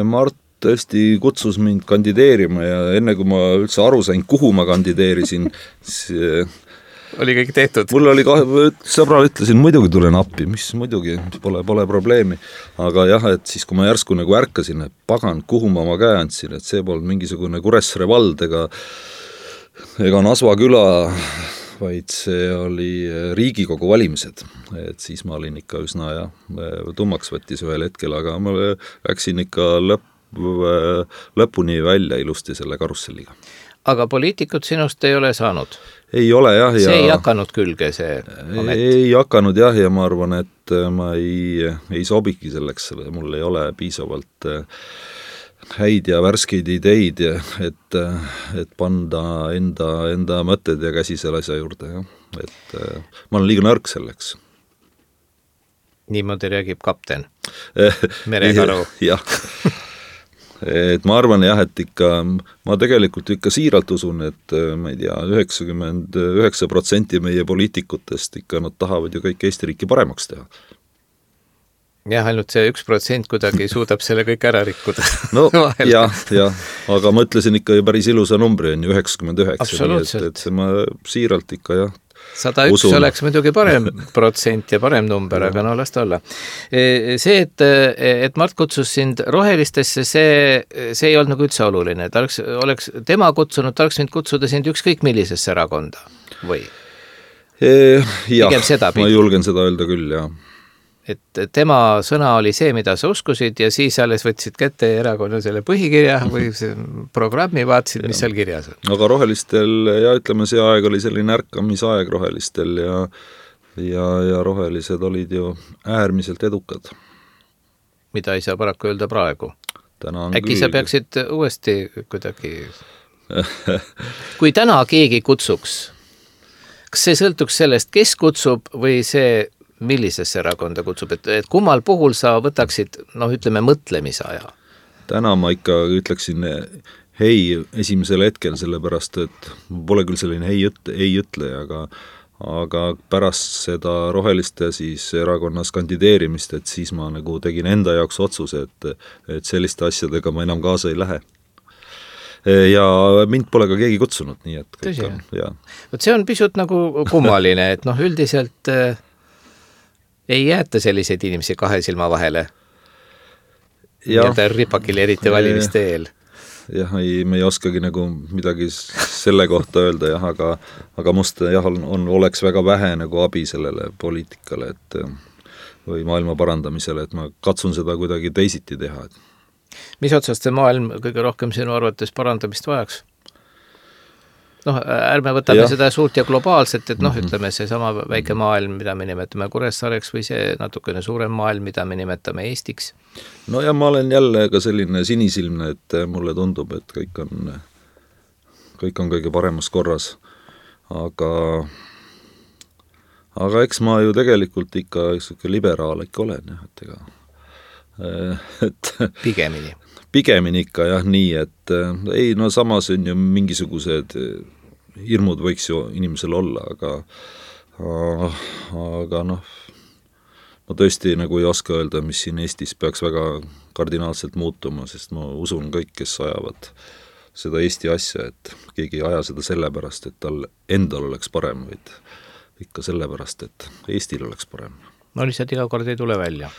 Mart tõesti kutsus mind kandideerima ja enne kui ma üldse aru sain, kuhu ma kandideerisin, siis oli kõik tehtud. Mul oli kahe, sõbrale ütlesin, muidugi tulen appi, mis muidugi, pole, pole probleemi. Aga jah, et siis kui ma järsku nagu ärkasin, et pagan, kuhu ma oma käe andsin, et see polnud mingisugune Kuressaare vald ega, ega Nasva küla, vaid see oli Riigikogu valimised. Et siis ma olin ikka üsna ja tummaks võttis ühel hetkel, aga ma läksin ikka lõpp, lõpuni välja ilusti selle karusselliga. Aga poliitikut sinust ei ole saanud? Ei ole jah. See ja ei hakanud külge see amet? Ei hakanud jah ja ma arvan, et ma ei, ei sobiki selleks, mul ei ole piisavalt häid ja värskeid ideid, et, et panda enda, enda mõtted ja käsi selle asja juurde. Ja. Et ma olen liiga nõrk selleks. Niimoodi räägib kapten Merekaru. Jah. Et ma arvan jah, et ikka, ma tegelikult ikka siiralt usun, et ma ei tea, üheksakümmend üheksa protsenti meie poliitikutest ikka nad tahavad ju kõik Eesti riiki paremaks teha. Jah, ainult see üks protsent kuidagi suudab selle kõik ära rikkuda. No jah, jah, aga ma ütlesin ikka ju päris ilusa numbri, on ju üheksakümmend üheksa. Absoluutselt. Et, et see ma siiralt ikka jah, sada üks usun. Oleks muidugi parem protsent ja parem number, aga no las ta olla. See, et, et Mart kutsus sind Rohelistesse, see, see ei olnud nagu üldse oluline. Ta oleks, oleks tema kutsunud, ta oleks võinud kutsuda sind ükskõik millisesse erakonda või? E, jah, ma julgen seda öelda küll, jah. et tema sõna oli see, mida sa uskusid ja siis alles võtsid kätte erakonna selle põhikirja või see programmi, vaatasid, mis seal kirjas on. aga rohelistel ja ütleme, see aeg oli selline ärkamisaeg rohelistel ja ja, ja rohelised olid ju äärmiselt edukad. Mida ei saa paraku öelda praegu. Äkki küll. sa peaksid uuesti kuidagi kui täna keegi kutsuks, kas see sõltuks sellest, kes kutsub või see millisesse erakonda kutsub, et, et kummal puhul sa võtaksid, noh ütleme, mõtlemisaja? Täna ma ikka ütleksin hei esimesel hetkel, sellepärast et pole küll selline hei, ei ütle, aga, aga pärast seda roheliste siis erakonnas kandideerimist, et siis ma nagu tegin enda jaoks otsuse, et, et selliste asjadega ma enam kaasa ei lähe. Ja mind pole ka keegi kutsunud, nii et kõik on, ja. Võt see on pisut nagu kummaline, et noh, üldiselt äh, ei jäeta selliseid inimesi kahe silma vahele. Ja ta ripakil eriti valimiste eel. Jah, ei, me ei oskagi nagu midagi selle kohta öelda, jah, aga, aga must jah, on, on, oleks väga vähe nagu abi sellele poliitikale, et või maailma parandamisele, et ma katsun seda kuidagi teisiti teha. Mis otsast see maailm kõige rohkem sinu arvates parandamist vajaks? Noh, ärme võtame ja. Seda suurt ja globaalset, et noh, mm-hmm. ütleme see sama väike maailm, mida me nimetame Kuressaareks või see natukene suurem maailm, mida me nimetame Eestiks. No ja ma olen jälle ka selline sinisilmne, et mulle tundub, et kõik on, kõik on kõige paremas korras. Aga, aga eks ma ju tegelikult ikka liberaal ikka olen, jah, et ega et pigemini. Pigemini ikka jah, nii, et ei, no samas on ju mingisugused hirmud võiks ju inimesel olla, aga aga noh, ma tõesti nagu ei oska öelda, mis siin Eestis peaks väga kardinaalselt muutuma, sest ma usun kõik, kes ajavad seda Eesti asja, et keegi ei aja seda sellepärast, et tal endal oleks parem, vaid ikka sellepärast, et Eestil oleks parem. No lihtsalt iga kord ei tule välja.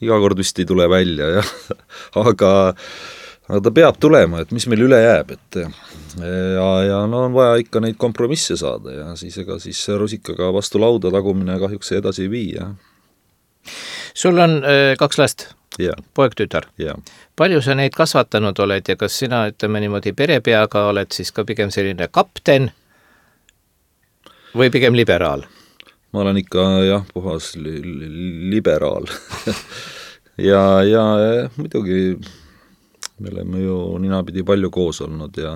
Iga kord vist ei tule välja, jah. aga, aga ta peab tulema, et mis meil üle jääb, et ja, ja no on vaja ikka neid kompromisse saada ja siis ega siis rusikaga vastu lauda tagumine kahjuks edasi ei vii, jah. Sul on äh, kaks last, ja. Poeg, tütar. Ja. Palju sa neid kasvatanud oled ja kas sina, ütleme niimoodi perepeaga, oled siis ka pigem selline kapten või pigem liberaal? Ma olen ikka jah, puhas li- li- liberaal ja, ja muidugi me oleme ju ninapidi palju koos olnud ja,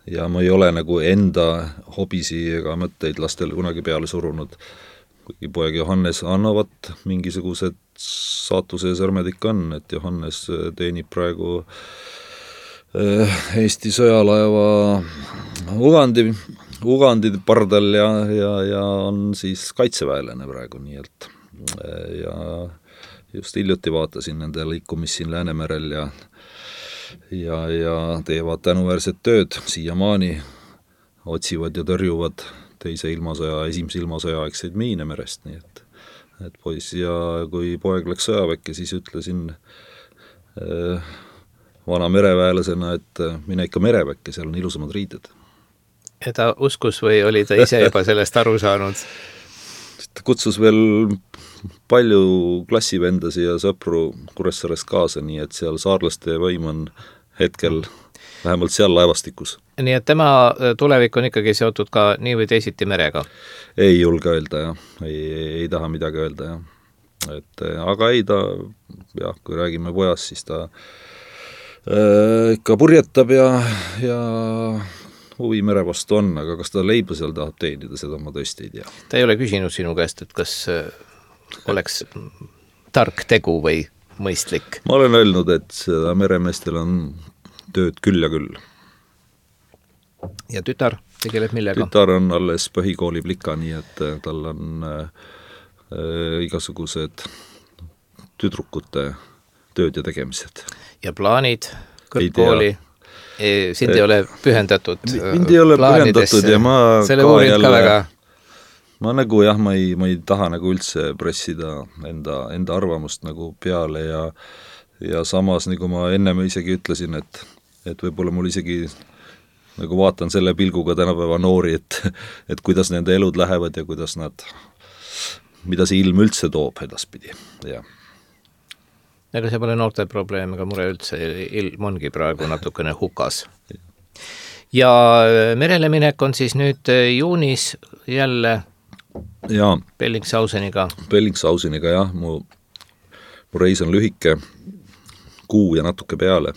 ja ma ei ole nagu enda hobisi ega mõtteid lastele kunagi peale surunud, kuigi poeg Johannes annavad mingisugused saatuse sõrmed ikka on, et Johannes teenib praegu Eesti sõjalaeva Ugandi Ugandi pardal ja, ja, ja on siis kaitseväelane praegu, nii et ja just hiljuti vaatasin nende liikumist siin Läänemerel ja ja, ja teevad tänuväärset tööd siiamaani, otsivad ja tõrjuvad teise ilmasõja, esimese ilmasõja aegseid miine merest, nii et et poiss ja kui poeg läks sõjaväkke, siis ütlesin äh, vana mereväelasena, et mine ikka mereväkke, seal on ilusamad riided. Ja ta uskus või oli ta ise juba sellest aru saanud? Ta kutsus veel palju klassivendasi ja sõpru Kuressaarest kaasa, nii et seal saarlaste võim on hetkel vähemalt seal laevastikus. Nii et tema tulevik on ikkagi seotud ka nii või teisiti merega? Ei julge öelda, jah. Ei, ei, ei taha midagi öelda, jah. Et, aga ei ta, jah, kui räägime pojast, siis ta äh, ikka purjetab ja, ja huvi mere vastu on, aga kas ta leiba seal tahab teenida, seda ma tõesti ei tea. Ta ei ole küsinud sinu käest, et kas oleks tark tegu või mõistlik? Ma olen öelnud, et seda meremeestel on tööd küll ja küll. Ja tütar tegeleb millega? Tütar on alles põhikooli plika, nii et tal on äh, igasugused tüdrukute tööd ja tegemised. Ja plaanid kõrgkooli? Sind ei ole pühendatud mind ei ole pühendatud ja ma selle uurid ka väga ma nagu jah, ma ei, ma ei taha nagu üldse pressida enda, enda arvamust nagu peale ja ja samas nagu ma ennem isegi ütlesin, et, et võib-olla mul isegi nagu vaatan selle pilguga tänapäeva noori, et, et kuidas nende elud lähevad ja kuidas nad mida see ilm üldse toob edaspidi, jah. Ega see pole noorte probleem ega mure üldse, ilm ongi praegu natukene hukas. Ja merele minek on siis nüüd juunis jälle ja, Bellingshauseniga. Bellingshauseniga, jah, mu, mu reis on lühike, kuu ja natuke peale.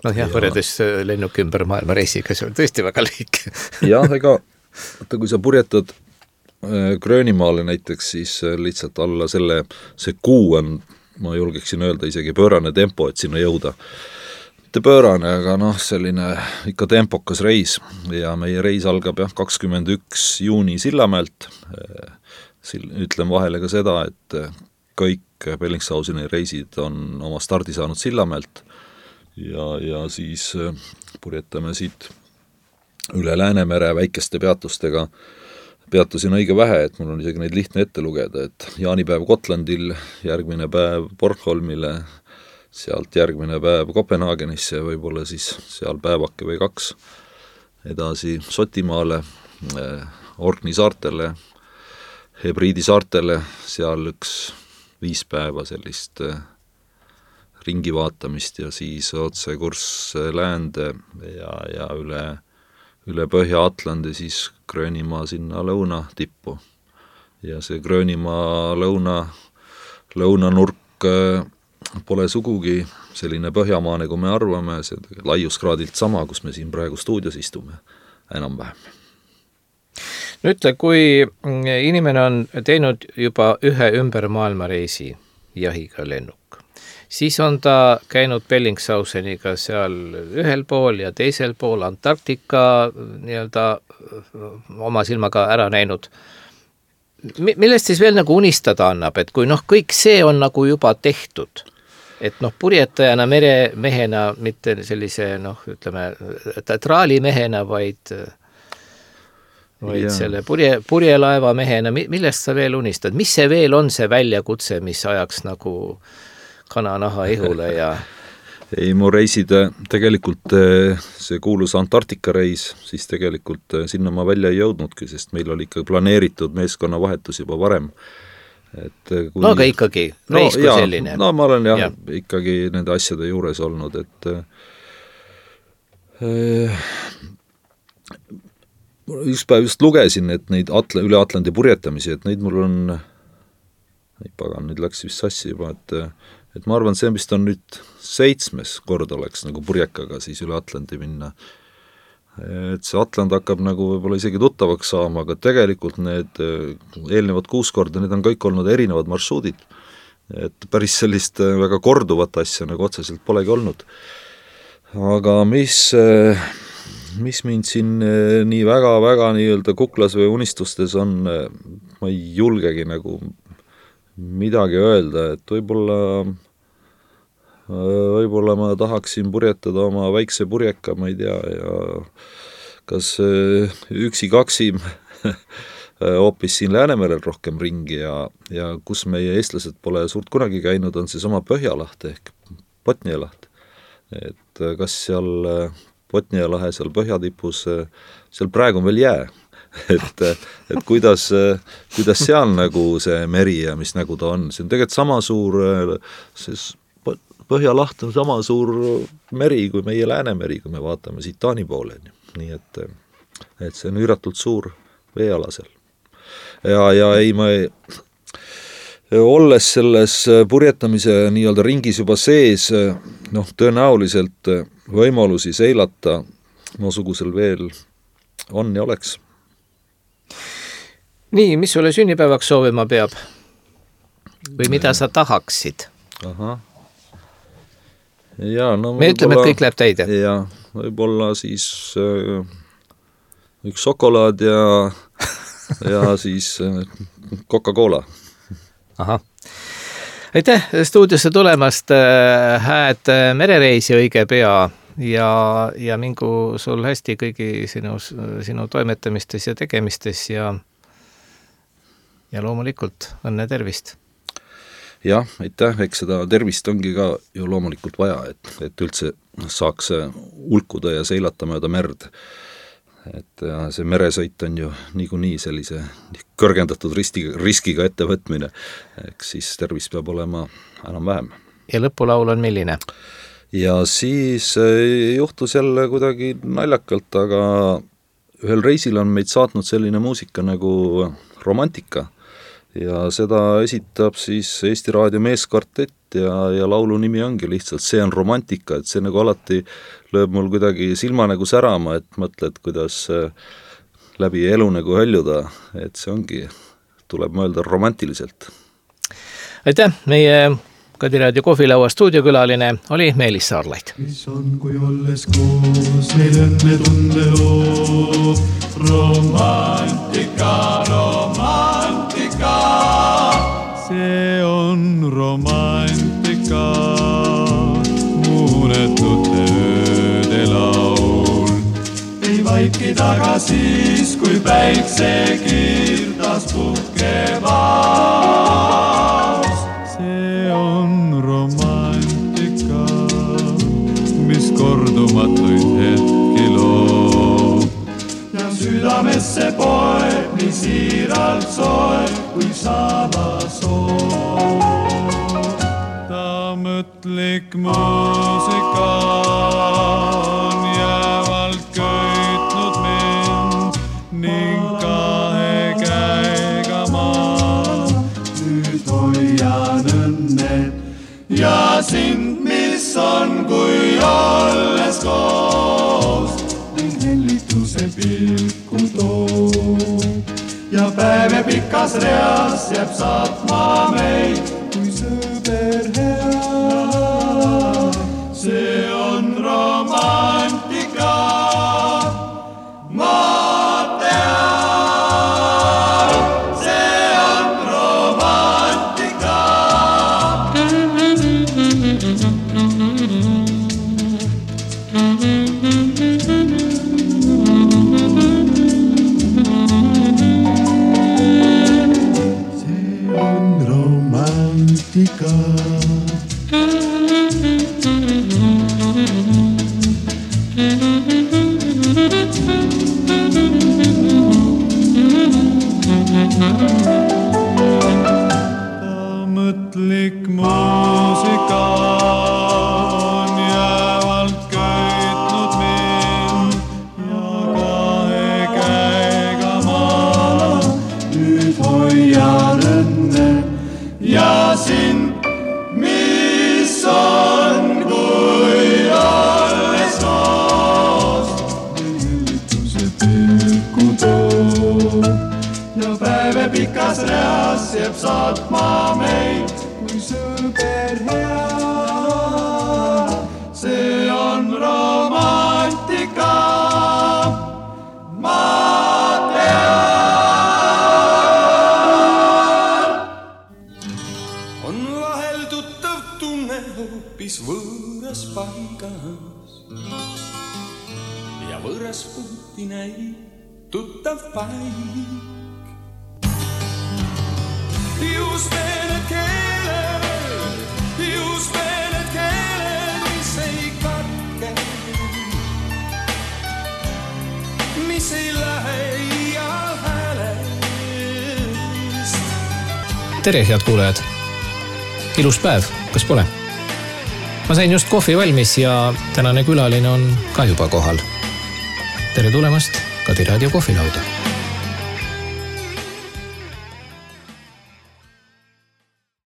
No jah, võrredes lennuki ümber maailma reisiga, see on tõesti väga lühike. jah, ega vaata, kui sa purjetad Gröönimaale näiteks, siis lihtsalt alla selle, see kuu on, ma julgeksin öelda, isegi pöörane tempo, et sinna jõuda. Mitte pöörane, aga noh, selline ikka tempokas reis ja meie reis algab jah, kakskümmend üks juuni Sillamäelt. Ütlen vahele ka seda, et kõik Bellingshauseni reisid on oma stardi saanud Sillamäelt ja, ja siis purjetame siit üle Läänemere väikeste peatustega. Peatusin õige vähe, et mul on isegi neid lihtne ette lugeda, et jaanipäev Gotlandil, järgmine päev Bornholmile, sealt järgmine päev Kopenhaagenisse, võib-olla siis seal päevake või kaks, edasi Sotimaale, Orkney saartele, Hebriidi saartele, seal üks viis päeva sellist ringi vaatamist ja siis otse kurss läände ja, ja üle, üle Põhja-Atlandi siis Gröönimaa sinna lõuna tippu. Ja see Gröönimaa lõuna, lõunanurk pole sugugi selline Põhjamaa, nagu me arvame, see laiuskraadilt sama, kus me siin praegu stuudios istume, enam vähem. No ütle, kui inimene on teinud juba ühe ümber maailmareisi jahiga lennuk, siis on ta käinud Bellingshauseniga seal ühel pool ja teisel pool Antarktika nii-öelda oma silmaga ära näinud. Millest siis veel nagu unistada annab, et kui noh, kõik see on nagu juba tehtud, et noh, purjetajana meremehena, mitte sellise noh, ütleme, traalimehena, vaid, vaid yeah. selle purje, purjelaeva mehena, millest sa veel unistad? Mis see veel on see väljakutse, mis ajaks nagu kananaha ihule ja... Ei, mu reisid tegelikult see kuulus Antarktika reis, siis tegelikult sinna ma välja ei jõudnudki, sest meil oli ikka planeeritud meeskonna vahetus juba varem. Et kui... No aga ikkagi, reis no, kui jaa, selline. No ma olen jah ja. ikkagi nende asjade juures olnud, et äh, üks päev just lugesin, et neid atla, üle Atlandi purjetamisi, et neid mul on, ei pagan, nüüd läks vist sassi juba, et, et ma arvan, see vist on nüüd seitsmes kord oleks nagu purjekaga siis üle Atlandi minna. Et see Atland hakkab nagu võib-olla isegi tuttavaks saama, aga tegelikult need eelnevad kuus korda, need on kõik olnud erinevad marsruudid. Et päris sellist väga korduvat asja nagu otseselt polegi olnud. Aga mis, mis mind siin nii väga-väga nii-öelda kuklas või unistustes on, ma ei julgegi nagu midagi öelda, et võib-olla võib-olla ma tahaksin purjetada oma väikse purjeka, ma ei tea, ja kas üksi-kaksi hoopis siin Läänemerel rohkem ringi ja, ja kus meie eestlased pole suurt kunagi käinud, on see sama Põhjalaht ehk Botnialaht. Et kas seal Botnialahe seal põhjatipus, seal praegu on veel jää, et, et kuidas, kuidas seal nagu see meri ja mis nagu ta on, see on tegelikult sama suur, see Põhjalaht on sama suur meri kui meie Läänemeri, kui me vaatame siit Taani poole. Nii et, et see on üüratult suur veeala seal. Ja, ja ei, ma ei, olles selles purjetamise nii-öelda ringis juba sees, noh, tõenäoliselt võimalusi seilata noosugusel veel on ja oleks. Nii, mis sulle sünnipäevaks soovima peab? Või mida sa tahaksid? Ahah. Ja, no, me ütleme, et kõik läheb täide. Ja, võib-olla siis äh, üks šokolaad ja, ja siis äh, Coca-Cola. Aha. Aitäh stuudiosse tulemast, hääd merereisi õige pea ja, ja mingu sul hästi kõigi sinu, sinu toimetamistes ja tegemistes ja, ja loomulikult õnne tervist. Jah, aitäh, eks seda tervist ongi ka ju loomulikult vaja, et, et üldse saaks ulkuda ja seilata mööda merd. et ja see meresõit on ju niikuinii sellise kõrgendatud ristiga, riskiga ettevõtmine, eks siis tervis peab olema enam-vähem. Ja lõpulaul on milline? Ja siis juhtus jälle kuidagi naljakalt, aga ühel reisil on meid saatnud selline muusika nagu Romantika ja seda esitab siis Eesti Raadio meeskvartett ja, ja laulu nimi ongi lihtsalt See on romantika, et see nagu alati lööb mul kuidagi silma nagu särama, et mõtled, kuidas läbi elu nagu höljuda, et see ongi, tuleb mõelda romantiliselt. Aitäh, meie Kadi Raadio kohvilaua stuudiokülaline oli Meelis Saarlaid. Mis on, kui olles koos meil õnne tunde loo, romantika, romantika. See on romantika, muunetute ööde laul. Ei vaiki taga siis, kui päikse kirdas puhkevad. See on romantika, mis kordumatuid hetki loob. Ja südamesse poeb nii siiralt soeb, kui saada soov. Ta mõtlik muusika on jäävalt köitnud mind ning kahe käega ma nüüd hoian õnnet ja sind, mis on, kui olles koos ning hellituse pilku toob ja päeve pikas reas jääb saatma meid kui sõber hea. See on romantika, ma tean, see on romantika. See on romantika. Mõtlik muusika on jäävalt köitnud mind ja kahe käega ma nüüd hoian õnne ja sind, mis on, kui olles koos hellituse pilku toob ja päeve pikas reas jääb saatma meid kui sõber hea. See on romantika, ma tean. On vahel tuttav tunne hoopis võõras paigas ja võõras puhti näib tuttav paik. Just need keeled, just need keeled, mis ei katke, mis ei lähe iial häälest. Tere, head kuulajad! Ilus päev, kas pole? Ma sain just kohvi valmis ja tänane külaline on ka juba kohal. Tere tulemast Kadi Raadio kohvilauda!